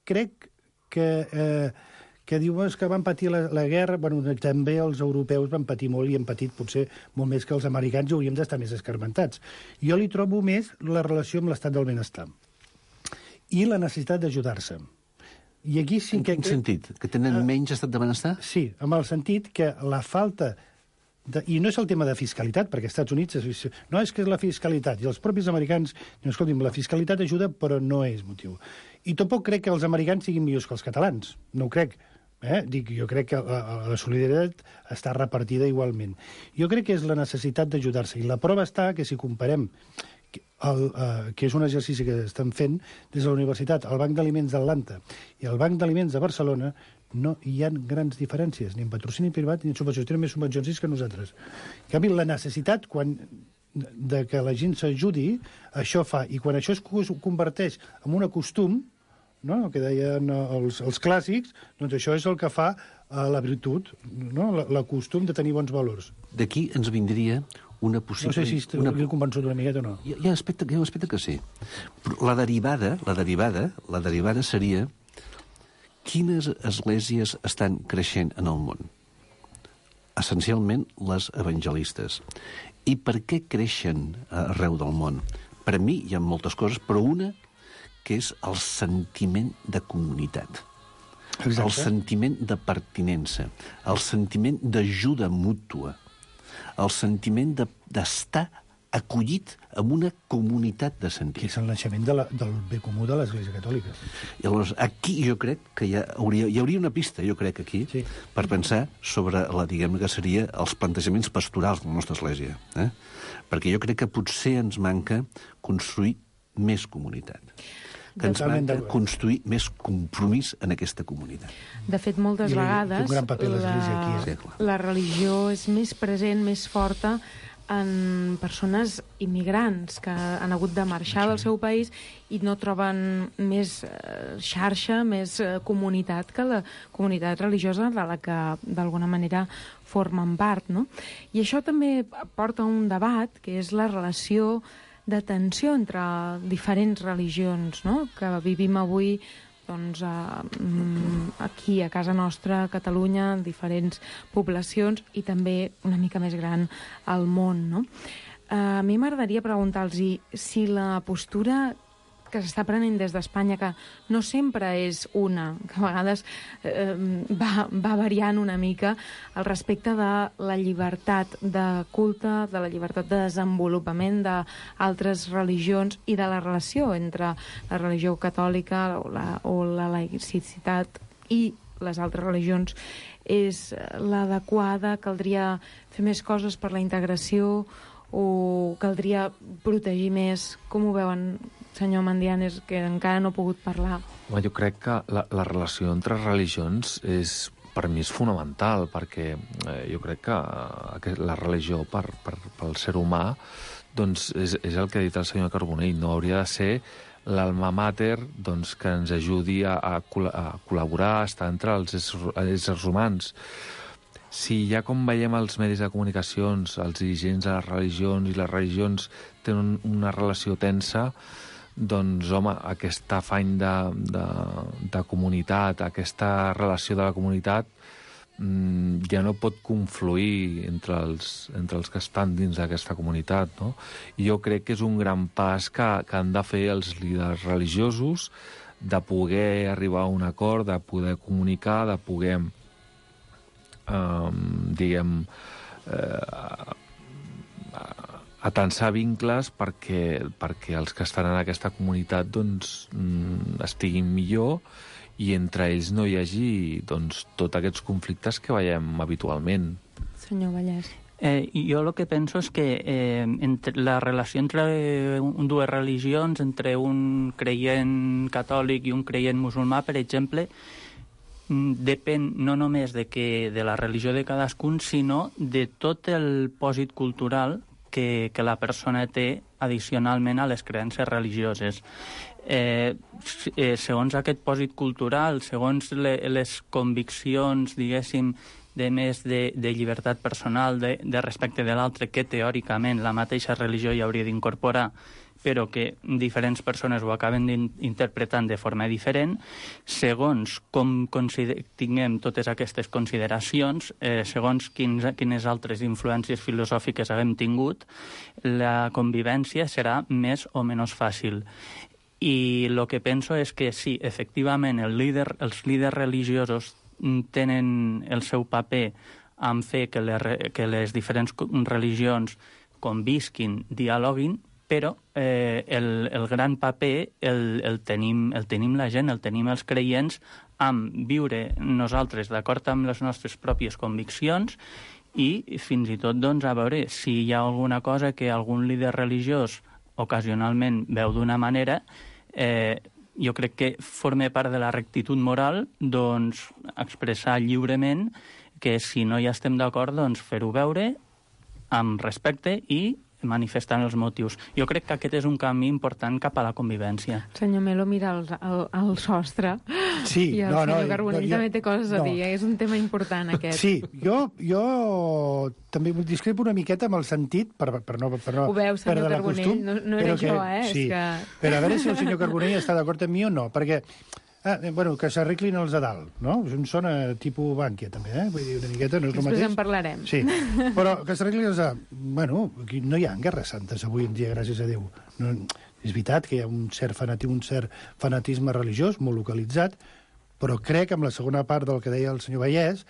crec que... Eh, que diuen que van patir la, la guerra, bueno, també els europeus van patir molt i han patit potser molt més que els americans i hauríem d'estar més escarmentats. Jo li trobo més la relació amb l'estat del benestar i la necessitat d'ajudar-se. I aquí sí en que... quin sentit? Que tenen uh, menys estat de benestar? Sí, amb el sentit que la falta... De, I no és el tema de fiscalitat, perquè als Estats Units és, no és que és la fiscalitat, i els propis americans diuen, escolti'm, la fiscalitat ajuda, però no és motiu. I tampoc crec que els americans siguin millors que els catalans, no ho crec. Eh? Dic, jo crec que la, la solidaritat està repartida igualment. Jo crec que és la necessitat d'ajudar-se, i la prova està que si comparem el, uh, que és un exercici que estan fent des de la universitat, el Banc d'Aliments d'Atlanta i el Banc d'Aliments de Barcelona, no hi ha grans diferències, ni en patrocini privat ni en subvencions. Tenen més subvencions que nosaltres. En canvi, la necessitat, quan de que la gent s'ajudi, això fa. I quan això es converteix en un costum, no? El que deien els, els clàssics, doncs això és el que fa uh, la virtut, no? la, la costum de tenir bons valors. D'aquí ens vindria una possible... No sé si estic una... convençut una miqueta o no. Hi ha, hi ha aspecte, hi ha un aspecte que sí. Però la derivada, la derivada, la derivada seria quines esglésies estan creixent en el món? Essencialment les evangelistes. I per què creixen arreu del món? Per a mi hi ha moltes coses, però una que és el sentiment de comunitat. Exacte. El sentiment de pertinença, el sentiment d'ajuda mútua, el sentiment de, d'estar acollit en una comunitat de sentit. Que és el naixement de la, del bé comú de l'Església Catòlica. I llavors, aquí jo crec que hi, ha, hauria, hi hauria una pista, jo crec, aquí, sí, per pensar sobre la, diguem que seria els plantejaments pastorals de la nostra Església. Eh? Perquè jo crec que potser ens manca construir més comunitat. Que ens manca construir més compromís en aquesta comunitat. De fet, moltes I vegades un gran paper l'Església aquí. La, sí, la religió és més present, més forta en persones immigrants que han hagut de marxar del seu país i no troben més xarxa, més comunitat que la comunitat religiosa de la que d'alguna manera formen part, no? I això també porta a un debat que és la relació de tensió entre diferents religions, no? Que vivim avui doncs, aquí, a casa nostra, a Catalunya, en diferents poblacions i també una mica més gran al món, no? A mi m'agradaria preguntar-los si la postura que s'està prenent des d'Espanya, que no sempre és una, que a vegades eh, va, va variant una mica al respecte de la llibertat de culte, de la llibertat de desenvolupament d'altres religions i de la relació entre la religió catòlica o la, o la laïcitat i les altres religions és l'adequada, caldria fer més coses per la integració o caldria protegir més? Com ho veuen, senyor Mandianes, que encara no ha pogut parlar? Home, jo crec que la, la relació entre religions és, per mi és fonamental, perquè eh, jo crec que, eh, que la religió per, per, pel ser humà doncs és, és el que ha dit el senyor Carbonell, no hauria de ser l'alma mater doncs, que ens ajudi a, a, col·a col·laborar, a estar entre els éssers, éssers humans. si ja com veiem als medis de comunicacions, els dirigents de les religions i les religions tenen una relació tensa, doncs, home, aquest afany de, de, de comunitat, aquesta relació de la comunitat, mmm, ja no pot confluir entre els, entre els que estan dins d'aquesta comunitat, no? I jo crec que és un gran pas que, que han de fer els líders religiosos, de poder arribar a un acord, de poder comunicar, de poder, eh, diguem, eh, atensar vincles perquè, perquè els que estan en aquesta comunitat doncs, estiguin millor i entre ells no hi hagi doncs, tots aquests conflictes que veiem habitualment. Senyor Vallès. Eh, jo el que penso és que eh, entre la relació entre un, dues religions, entre un creient catòlic i un creient musulmà, per exemple, depèn no només de, que, de la religió de cadascun, sinó de tot el pòsit cultural que, que la persona té addicionalment a les creences religioses. Eh, eh, segons aquest pòsit cultural, segons le, les conviccions, diguéssim, de més de, de llibertat personal, de, de respecte de l'altre, que teòricament la mateixa religió hi hauria d'incorporar, però que diferents persones ho acaben interpretant de forma diferent, segons com tinguem totes aquestes consideracions, eh, segons quins, quines altres influències filosòfiques haguem tingut, la convivència serà més o menys fàcil. I el que penso és que sí, efectivament, el líder, els líders religiosos tenen el seu paper en fer que les, que les diferents religions convisquin, dialoguin, però eh, el, el gran paper el, el, tenim, el tenim la gent, el tenim els creients, amb viure nosaltres d'acord amb les nostres pròpies conviccions i fins i tot doncs, a veure si hi ha alguna cosa que algun líder religiós ocasionalment veu d'una manera, eh, jo crec que forma part de la rectitud moral doncs, expressar lliurement que si no hi estem d'acord, doncs fer-ho veure amb respecte i manifestant els motius. Jo crec que aquest és un camí important cap a la convivència. Senyor Melo mira al, al, al sostre sí, i el no, senyor no, Carbonell no, jo, també té coses no. a dir. És un tema important, aquest. Sí, jo, jo també discrepo una miqueta amb el sentit, per, per no, per no Ho veu, senyor perdre la Carbonell, costum, no, no era que, jo, eh? Sí, és que... però a veure si el senyor Carbonell està d'acord amb mi o no, perquè Ah, bueno, que s'arreglin els de dalt, no? És un sona tipus Bànquia, també, eh? Vull dir, una miqueta no és el mateix. Després en parlarem. Sí, però que s'arreglin els de dalt. Bueno, aquí no hi ha guerres santes avui en dia, gràcies a Déu. No, és veritat que hi ha un cert, fanati, un cert fanatisme religiós, molt localitzat, però crec que amb la segona part del que deia el senyor Vallès,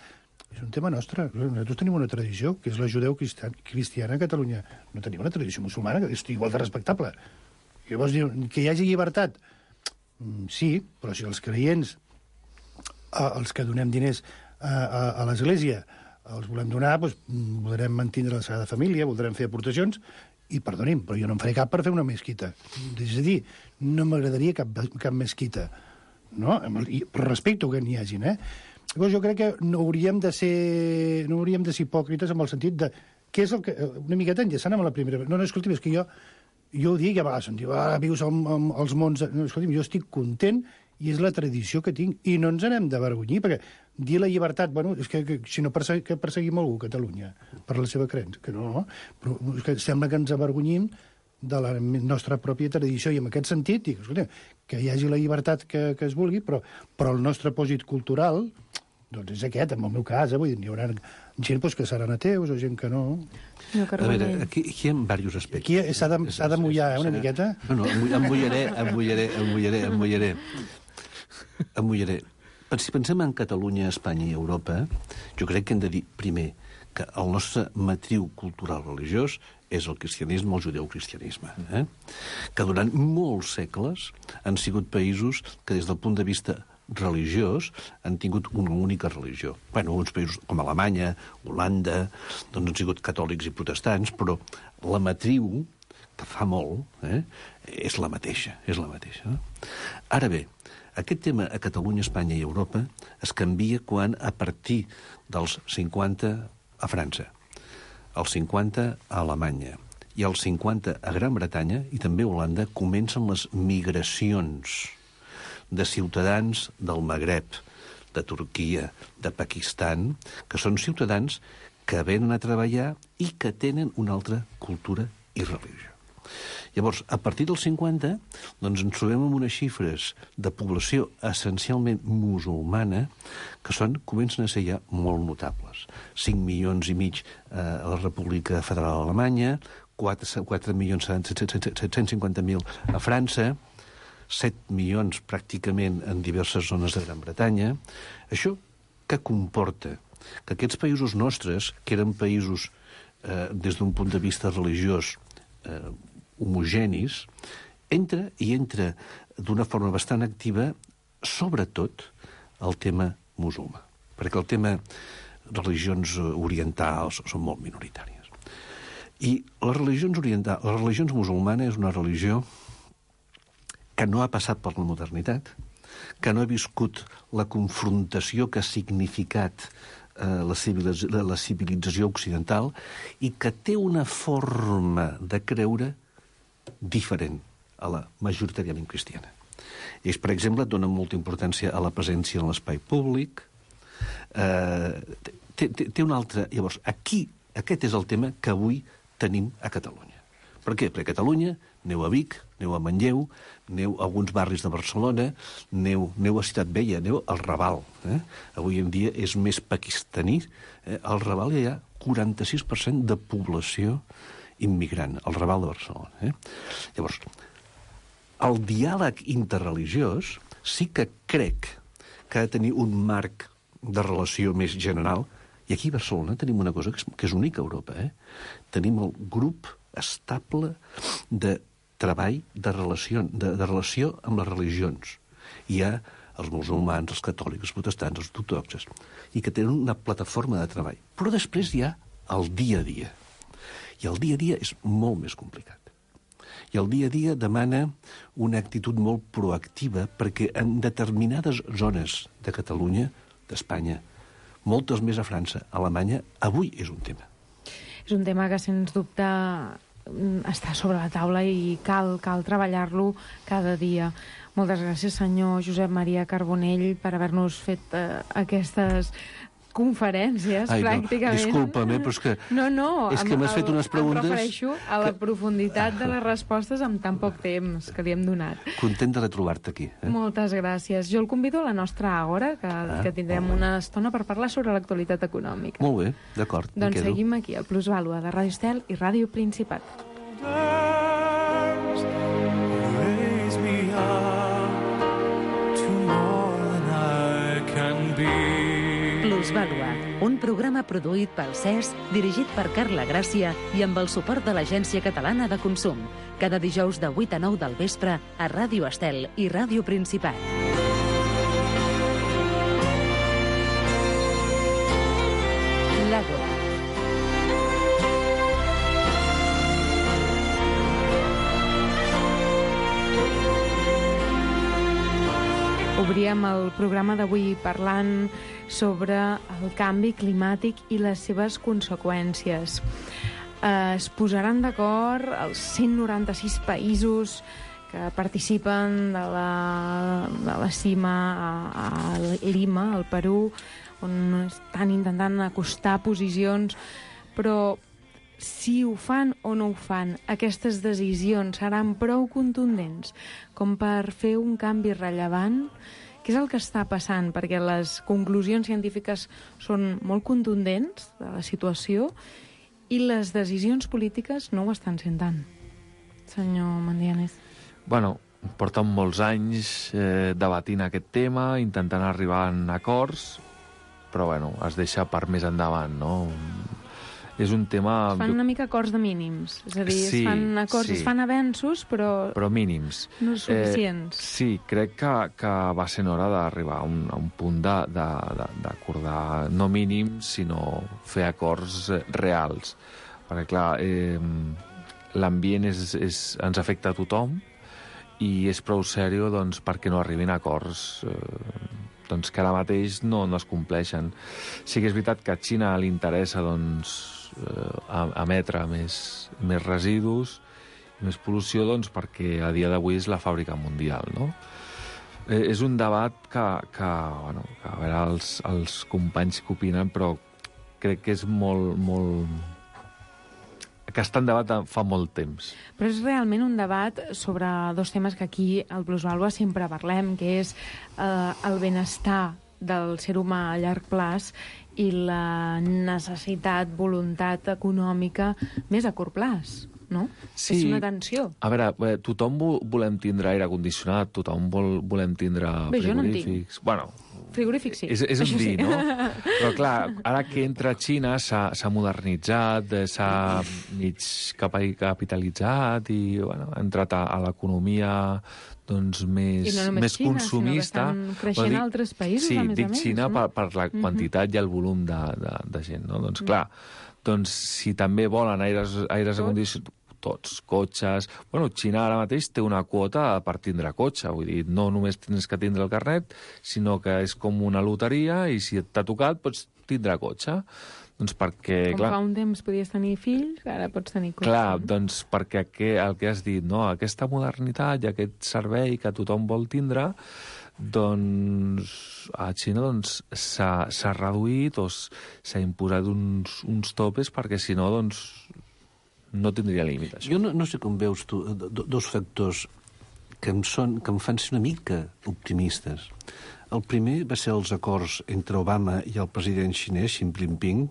és un tema nostre. Nosaltres tenim una tradició, que és la judeu-cristiana a Catalunya. No tenim una tradició musulmana, que és igual de respectable. I llavors diu que hi hagi llibertat. Sí, però si els creients, els que donem diners a, a, a l'Església, els volem donar, doncs, voldrem mantindre la Sagrada Família, voldrem fer aportacions, i perdonin, però jo no en faré cap per fer una mesquita. És a dir, no m'agradaria cap, cap mesquita. No? Però respecto que n'hi hagin, eh? Llavors jo crec que no hauríem de ser, no hauríem de ser hipòcrites amb el sentit de... Què és el que... Una miqueta enllaçant amb la primera... No, no, escolti, és que jo... Jo ho dic, a vegades em diu, ah, vius als mons... No, escolti'm, jo estic content i és la tradició que tinc. I no ens n'hem d'avergonyir, perquè dir la llibertat, bueno, és que, que si no persegui, que perseguim algú a Catalunya per la seva creença, que no, no, però és que sembla que ens avergonyim de la nostra pròpia tradició, i en aquest sentit, dic, escolta, que hi hagi la llibertat que, que es vulgui, però, però el nostre pòsit cultural, doncs és aquest, en el meu cas, eh, vull dir, hi haurà gent doncs, que seran ateus o gent que no. A veure, aquí, aquí hi ha diversos aspectes. Aquí s'ha de, s'ha de mullar, eh, una miqueta. No, no, em mullaré, em mullaré, em mullaré, em mullaré. Em mullaré. Si pensem en Catalunya, Espanya i Europa, jo crec que hem de dir, primer, que el nostre matriu cultural religiós és el cristianisme, el judeocristianisme, eh? que durant molts segles han sigut països que des del punt de vista religiós han tingut una única religió. Bueno, uns països com Alemanya, Holanda, doncs han sigut catòlics i protestants, però la matriu, que fa molt, eh, és la mateixa, és la mateixa. No? Ara bé, aquest tema a Catalunya, Espanya i Europa es canvia quan, a partir dels cinquanta a França, els cinquanta a Alemanya i els cinquanta a Gran Bretanya i també a Holanda, comencen les migracions de ciutadans del Magreb, de Turquia, de Pakistan, que són ciutadans que venen a treballar i que tenen una altra cultura i religió. Llavors, a partir dels cinquanta, doncs ens trobem amb unes xifres de població essencialment musulmana que són, comencen a ser ja molt notables. cinc milions i mig a la República Federal Alemanya, quatre milions set-cents cinquanta mil a França, set milions pràcticament en diverses zones de Gran Bretanya. Això què comporta? Que aquests països nostres, que eren països eh, des d'un punt de vista religiós eh, homogenis, entra i entra d'una forma bastant activa, sobretot, el tema musulmà. Perquè el tema religions orientals són molt minoritàries. I les religions orientals, les religions musulmanes és una religió que no ha passat per la modernitat, que no ha viscut la confrontació que ha significat eh, la, civilització, la civilització occidental i que té una forma de creure diferent a la majoritàriament cristiana. Ells, per exemple, donen molta importància a la presència en l'espai públic. Eh, té, té, té una altra... Llavors, aquí, aquest és el tema que avui tenim a Catalunya. Per què? Perquè a Catalunya aneu a Vic, aneu a Manlleu, aneu a alguns barris de Barcelona, aneu, aneu a Ciutat Vella, aneu al Raval. Eh? Avui en dia és més pakistaní. Eh? Al Raval hi ha quaranta-sis per cent de població immigrant, al Raval de Barcelona. Eh? Llavors, el diàleg interreligiós sí que crec que ha de tenir un marc de relació més general, i aquí a Barcelona tenim una cosa que és, que és única a Europa. Eh? Tenim el grup estable de treball de relació, de, de relació amb les religions. Hi ha els musulmans, els catòlics, els protestants, els ortodoxes, i que tenen una plataforma de treball. Però després hi ha el dia a dia. I el dia a dia és molt més complicat. I el dia a dia demana una actitud molt proactiva perquè en determinades zones de Catalunya, d'Espanya, moltes més a França, a Alemanya, avui és un tema. És un tema que, sens dubte, està sobre la taula i cal, cal treballar-lo cada dia. Moltes gràcies, senyor Josep Maria Carbonell, per haver-nos fet eh, aquestes conferències, Ai, no, pràcticament. disculpa'm, eh, però és que... No, no, és que m'has fet unes preguntes... Em refereixo a la que... profunditat de les respostes amb tan poc temps que li hem donat. Content de retrobar-te aquí. Eh? Moltes gràcies. Jo el convido a la nostra Àgora, que, ah, que tindrem una estona per parlar sobre l'actualitat econòmica. Molt bé, d'acord. Doncs seguim aquí, al Plusvàlua de Ràdio Estel i Ràdio Principat. Raise me up to more than I can be. Plusvàlua, un programa produït pel C E S, dirigit per Carla Gràcia i amb el suport de l'Agència Catalana de Consum. Cada dijous de vuit a nou del vespre a Ràdio Estel i Ràdio Principat. L'Àgora. Obríem el programa d'avui parlant sobre el canvi climàtic i les seves conseqüències. Eh, es posaran d'acord els cent noranta-sis països que participen de la, de la cima a, a Lima, al Perú, on estan intentant acostar posicions, però si ho fan o no ho fan, aquestes decisions seran prou contundents com per fer un canvi rellevant? Què és el que està passant? Perquè les conclusions científiques són molt contundents de la situació i les decisions polítiques no ho estan sent tant. Senyor Mandianes. Bueno, porten molts anys eh, debatint aquest tema, intentant arribar a acords, però bueno, es deixa per més endavant, no? És un tema... Es fan una mica acords de mínims, és a dir, sí, es fan acords, sí. es fan avenços, però... Però mínims. No suficients. Eh, sí, crec que, que va ser hora d'arribar a, un, a un punt d'acordar no mínims, sinó fer acords reals. Perquè, clar, eh, l'ambient és, és, ens afecta a tothom i és prou sèrio doncs, perquè no arribin a acords eh, doncs, que ara mateix no, no es compleixen. Sí que és veritat que a Xina li interessa doncs, eh, emetre més, més residus, més pol·lució, doncs, perquè a dia d'avui és la fàbrica mundial, no? Eh, és un debat que, que, bueno, que a veure els, els companys que opinen, però crec que és molt, molt... que està en debat fa molt temps. Però és realment un debat sobre dos temes que aquí al Plusvalua sempre parlem, que és eh, el benestar del ser humà a llarg plaç i la necessitat, voluntat econòmica més a curt plaç. No? Sí. És una tensió. A veure, eh, tothom vo- volem tindre aire condicionat, tothom vol, volem tindre Bé, jo no en frigorífics... Bueno, Frigorífic, sí. és, és un Això dir, sí. no? Però clar, ara que entra Xina s'ha s'ha modernitzat, eh, s'ha mig capa- capitalitzat i bueno, ha entrat a, a l'economia doncs, més, I no només més Xina, consumista. sinó que estan creixent Però altres països, sí, a més a dic més, Xina no? per, per la Mhm. quantitat i el volum de, de, de gent, no? Doncs Mm. clar, doncs si també volen aires, aires acondicionats, tots, cotxes... Bueno, Xina ara mateix té una quota per tindre cotxe, vull dir, no només tens que tindre el carnet, sinó que és com una loteria i si t'ha tocat pots tindre cotxe. Doncs perquè, Com clar... fa un temps podies tenir fills, ara pots tenir cotxe. Clar, doncs perquè que, el que has dit, no? Aquesta modernitat i aquest servei que tothom vol tindre, doncs a Xina doncs, s'ha s'ha reduït o s- s'ha imposat uns, uns topes perquè si no doncs, no tindria límit, això. Jo no, no sé com veus tu do, dos factors que em, són, que em fan ser una mica optimistes. El primer va ser els acords entre Obama i el president xinès, Xi Jinping,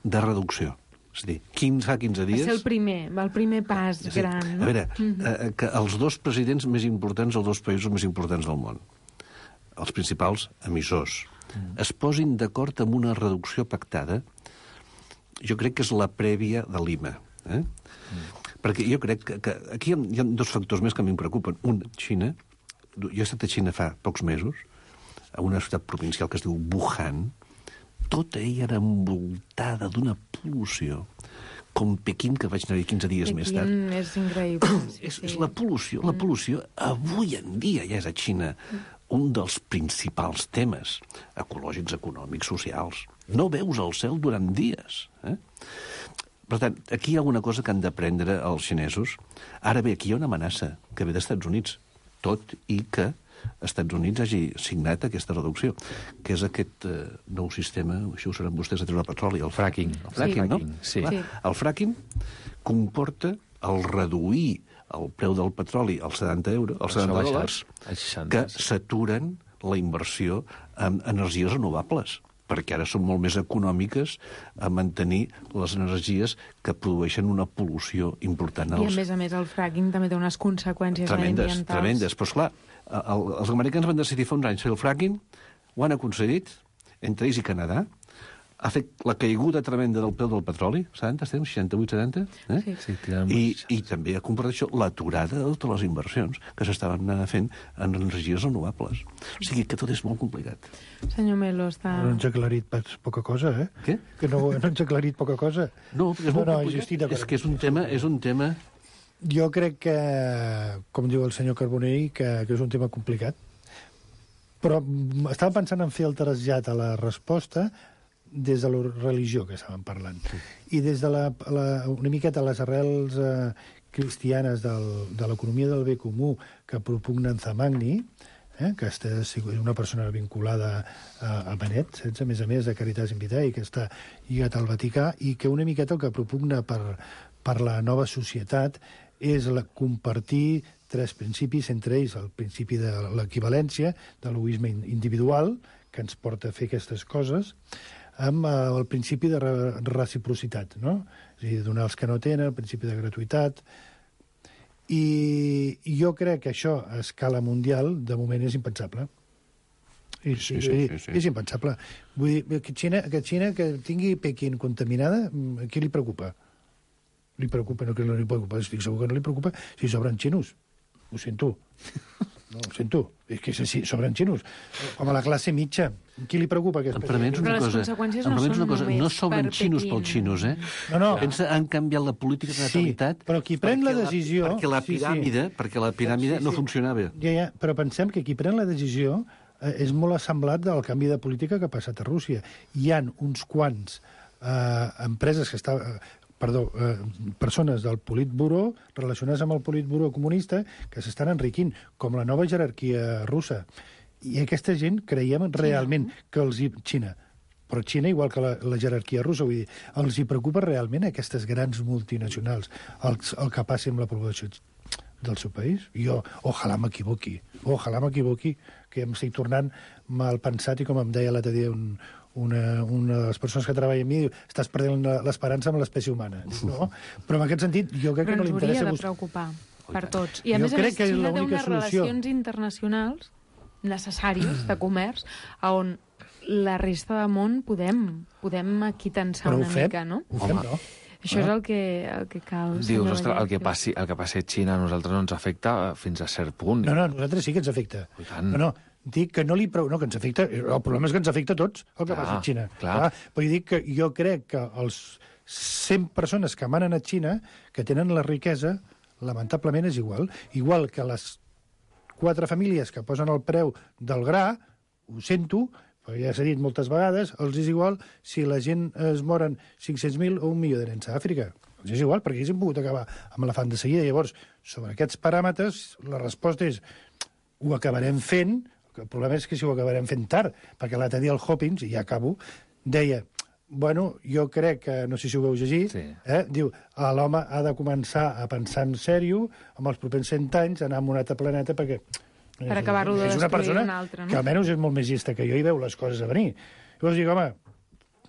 de reducció. És a dir, quinze, fa quinze Va dies... ser el primer, el primer pas És a dir, gran. A No? veure, Mhm. eh, que els dos presidents més importants, els dos països més importants del món, els principals emissors, es posin d'acord amb una reducció pactada, jo crec que és la prèvia de Lima. Eh? Perquè jo crec que, que aquí hi ha, hi ha dos factors més que a mi em preocupen. Un, Xina. Jo he estat a Xina fa pocs mesos, a una ciutat provincial que es diu Wuhan. Tota ella era envoltada d'una pol·lució, com Pequín, que vaig anar-hi quinze dies més tard. Pequín és increïble. Sí, És, sí. és la pol·lució. La pol·lució avui en dia ja és a Xina un dels principals temes ecològics, econòmics, socials. No veus el cel durant dies. Eh? Per tant, aquí hi ha alguna cosa que han d'aprendre els xinesos. Ara bé, aquí hi ha una amenaça que ve dels Estats Units, tot i que els Estats Units hagi signat aquesta reducció, que és aquest eh, nou sistema, això ho saben vostès, de treure petroli, el fracking. El fracking, Sí. no? Sí. Clar, Sí. el fracking comporta el reduir el preu del petroli als setanta euros, als Això setanta ha baixat dòlars, a seixanta. que s'aturen la inversió en energies renovables, perquè ara són molt més econòmiques a mantenir les energies que produeixen una pol·lució important. I a als- més a més el fracking també té unes conseqüències tremendes, mediambientals. tremendes. Però, esclar, el, els americans van decidir fa uns anys fer el fracking, ho han aconseguit, entre ells i Canadà, ha fet la caiguda tremenda del preu del petroli, setanta, estem, seixanta-vuit, setanta, eh? Sí. Sí, tirant I, I també ha comportat això l'aturada de totes les inversions que s'estaven anant fent en energies renovables. O sigui que tot és molt complicat. Senyor Melo, està... No ens ha aclarit pas poca cosa, eh? Què? Que no, no ens ha aclarit poca cosa. No, perquè és molt no, no, complicat. jo estic d'acord. És que és un tema... És un tema... Jo crec que, com diu el senyor Carbonell, que, que és un tema complicat. Però mm, estava pensant en fer el trasllat a la resposta des de la religió que estàvem parlant. I des de la, la, una miqueta les arrels eh, cristianes del, de l'economia del bé comú que propugna en Zamagni, eh, que està, és una persona vinculada a, a Benet, saps? A més a més de Caritas in Vitae, que està lligat al Vaticà, i que una miqueta el que propugna per, per la nova societat és la, compartir tres principis, entre ells el principi de l'equivalència, de l'egoisme individual, que ens porta a fer aquestes coses, amb eh, el principi de re reciprocitat, no? És a dir, donar als que no tenen, el principi de gratuïtat. I, i jo crec que això a escala mundial de moment és impensable. I, Sí, sí, sí, sí, sí. És impensable. Vull dir, que Xina, que Xina que tingui Pequín contaminada, a qui li preocupa? Li preocupa, no que no li preocupa, estic segur que no li preocupa si sobren xinos. Ho sento. No, ho sento. És que si sobren xinos. Com a la classe mitja. Qui li preocupa aquest Em permets una Però les cosa? conseqüències Em no permets són una cosa? només No sobren per xinos Pequín. pels xinos, eh? No, no. Pensa, han canviat la política de Sí, natalitat... però qui pren la perquè decisió- perquè la sí, sí. piràmide, perquè la piràmide Sí, sí. no funcionava. Ja, ja, però pensem que qui pren la decisió eh, és molt assemblat del canvi de política que ha passat a Rússia. Hi han uns quants eh, empreses que està, eh, perdó, eh, persones del Politburó relacionades amb el Politburó comunista que s'estan enriquint, com la nova jerarquia russa. I aquesta gent creiem realment que els... hi- Xina. Però Xina, igual que la, la jerarquia russa, vull dir, els hi preocupa realment aquestes grans multinacionals, el, el que passi amb la població del seu país? Jo, ojalà m'equivoqui, ojalà m'equivoqui, que em estic tornant mal pensat i com em deia l'altre dia un, una, una de les persones que treballa amb mi, diu, estàs perdent la- l'esperança amb l'espècie humana. No? Però en aquest sentit, jo crec Però que no ens li hauria interessa... de bus- preocupar per tots. I a Jo més a crec més, que és Xina té l'única unes solució. relacions internacionals necessàries de comerç on la resta del món podem, podem aquitensar Però ho una fem? mica, no? Ho fem, no? Això és el que, el que cal. Dius, senyor ostres, el que, Vallet. passi, el que passi a Xina a nosaltres no ens afecta fins a cert punt. No, no, a nosaltres sí que ens afecta. No, no, dic que no li prou... No, que ens afecta... El problema és que ens afecta a tots, el que Clar, passa a Xina. clar. Vull dir que jo crec que els cent persones que manen a Xina, que tenen la riquesa, lamentablement és igual. Igual que les quatre famílies que posen el preu del gra, ho sento, però ja s'ha dit moltes vegades, els és igual si la gent es moren cinc-cents mil o un milió de nens a Àfrica. Els és igual, perquè ells han pogut acabar amb l'elefant de seguida. Llavors, sobre aquests paràmetres, la resposta és ho acabarem fent. El problema és que si ho acabarem fent tard, perquè l'altre dia el Hopkins, i ja acabo, deia, bueno, jo crec que, no sé si ho veu llegir, sí. eh, diu, ah, l'home ha de començar a pensar en sèrio amb els propers cent anys, anar a un altre planeta, perquè Per acabar-lo de és una destruir persona un altre, no? que almenys és molt més llesta que jo i veu les coses a venir. Llavors dic, home,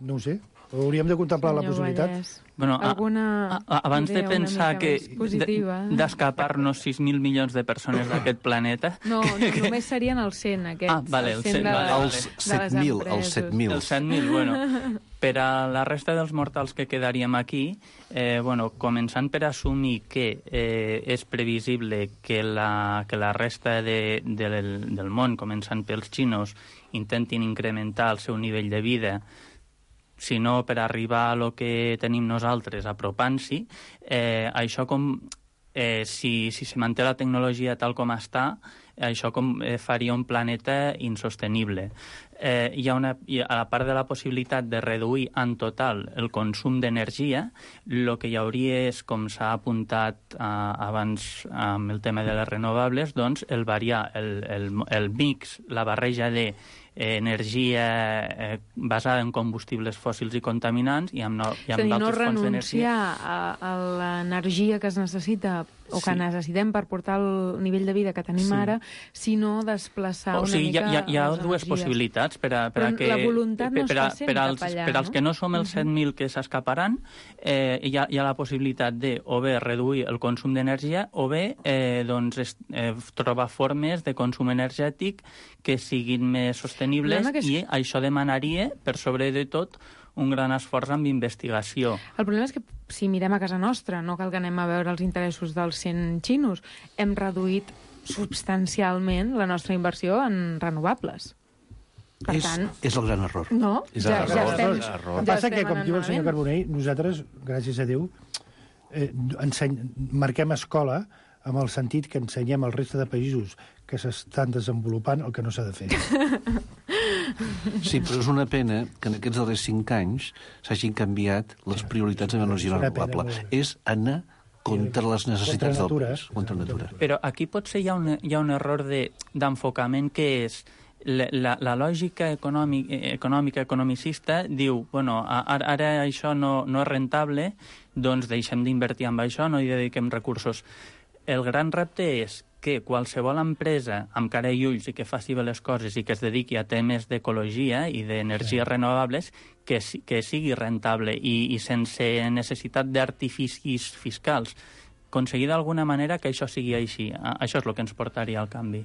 no ho sé, hauríem de contemplar la Senyor possibilitat. Vallès, Bueno, a- alguna a- a- abans de idea una pensar mica que més positiva? de- d'escapar-nos sis mil milions de persones d'aquest planeta... No, no, només serien els cent, aquests. Ah, vale, els cent, de, vale, vale. els set mil, els set mil. Els set mil, bueno. Per a la resta dels mortals que quedaríem aquí, eh, bueno, començant per assumir que eh, és previsible que la, que la resta de, de, del, del món, començant pels xinos, intentin incrementar el seu nivell de vida, sinó per arribar a lo que tenim nosaltres, apropant-s'hi, eh, això com... Eh, si, si se manté la tecnologia tal com està, això com, eh, faria un planeta insostenible. Eh, hi ha una, hi ha, a la part de la possibilitat de reduir en total el consum d'energia, el que hi hauria és, com s'ha apuntat eh, abans amb el tema de les renovables, doncs el variar el, el, el mix, la barreja de eh, energia eh, basada en combustibles fòssils i contaminants i amb, no, i És a amb dir, no d'altres fonts d'energia. renunciar a, a l'energia que es necessita o que Sí. necessitem per portar el nivell de vida que tenim Sí. ara, sinó desplaçar O una sigui, hi ha, mica hi ha, hi ha les dues energies. possibilitats per a, per a Però que... la voluntat no per a, està sent per als, cap allà, per als no? que no som els set mil que s'escaparan, eh, hi, ha, hi ha la possibilitat de o bé reduir el consum d'energia o bé eh, doncs, est, eh, trobar formes de consum energètic que siguin més sostenibles Problema que és- i això demanaria, per sobre de tot, un gran esforç amb investigació. El problema és que si mirem a casa nostra, no cal que anem a veure els interessos dels cent xinos, hem reduït substancialment la nostra inversió en renovables. Per és, tant, és el gran error. no, És ja, el ja gran estem, error. El ja que passa estem que, com anant diu el senyor malament. Carbonell, nosaltres, gràcies a Déu, eh, enseny... marquem escola amb el sentit que ensenyem al resta de països que s'estan desenvolupant el que no s'ha de fer. Sí, però és una pena que en aquests darrers cinc anys s'hagin canviat les prioritats en energia és una pena, renovable. molt bé. És anar contra les necessitats del natura. país. Contra natura. Però aquí potser hi ha un, hi ha un error de- d'enfocament que és la, la, la lògica econòmic, econòmica, economicista, diu, bueno, ara, ara això no, no és rentable, doncs deixem d'invertir en això, no hi dediquem recursos. El gran repte és que qualsevol empresa amb cara i ulls i que faci bé les coses i que es dediqui a temes d'ecologia i d'energies sí. renovables, que, si- que sigui rentable i, i sense necessitat d'artificis fiscals. Aconseguir d'alguna manera que això sigui així. A- Això és el que ens portaria al canvi.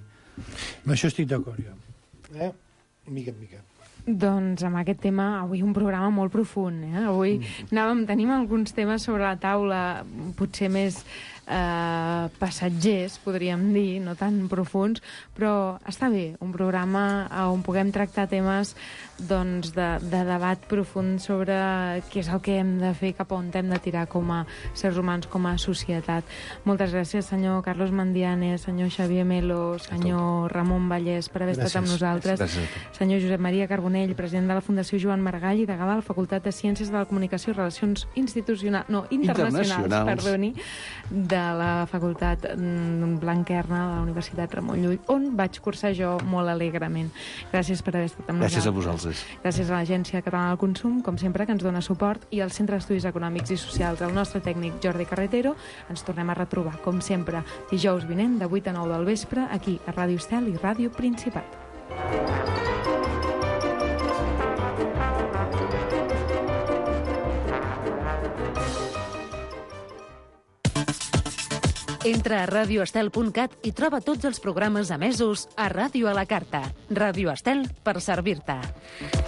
Amb això estic d'acord, jo. Eh? Mica en mica. Doncs amb aquest tema, avui un programa molt profund. Eh? Avui mm. anàvem, tenim alguns temes sobre la taula, potser més eh, passatgers, podríem dir, no tan profuns, però està bé, un programa on puguem tractar temes doncs, de, de debat profund sobre què és el que hem de fer, cap on hem de tirar com a sers humans, com a societat. Moltes gràcies, senyor Carlos Mandiane, senyor Xavier Melo, senyor Ramon Vallès, per haver gràcies. estat amb nosaltres. Gràcies. Senyor Josep Maria Carbonell, president de la Fundació Joan Maragall i degà de la Facultat de Ciències de la Comunicació i Relacions Institucionals, no, internacionals, internacionals. perdoni, de la Facultat Blanquerna de la Universitat Ramon Llull, on vaig cursar jo molt alegrement. Gràcies per haver estat amb Gràcies nosaltres. a vosaltres. Gràcies a l'Agència Catalana del Consum, com sempre, que ens dona suport, i al Centre d'Estudis Econòmics i Socials, el nostre tècnic Jordi Carretero. Ens tornem a retrobar, com sempre, dijous vinent, de vuit a nou del vespre, aquí a Ràdio Estel i Ràdio Principat. Entra a radio estel punt cat i troba tots els programes emesos a Ràdio a la Carta. Ràdio Estel per servir-te.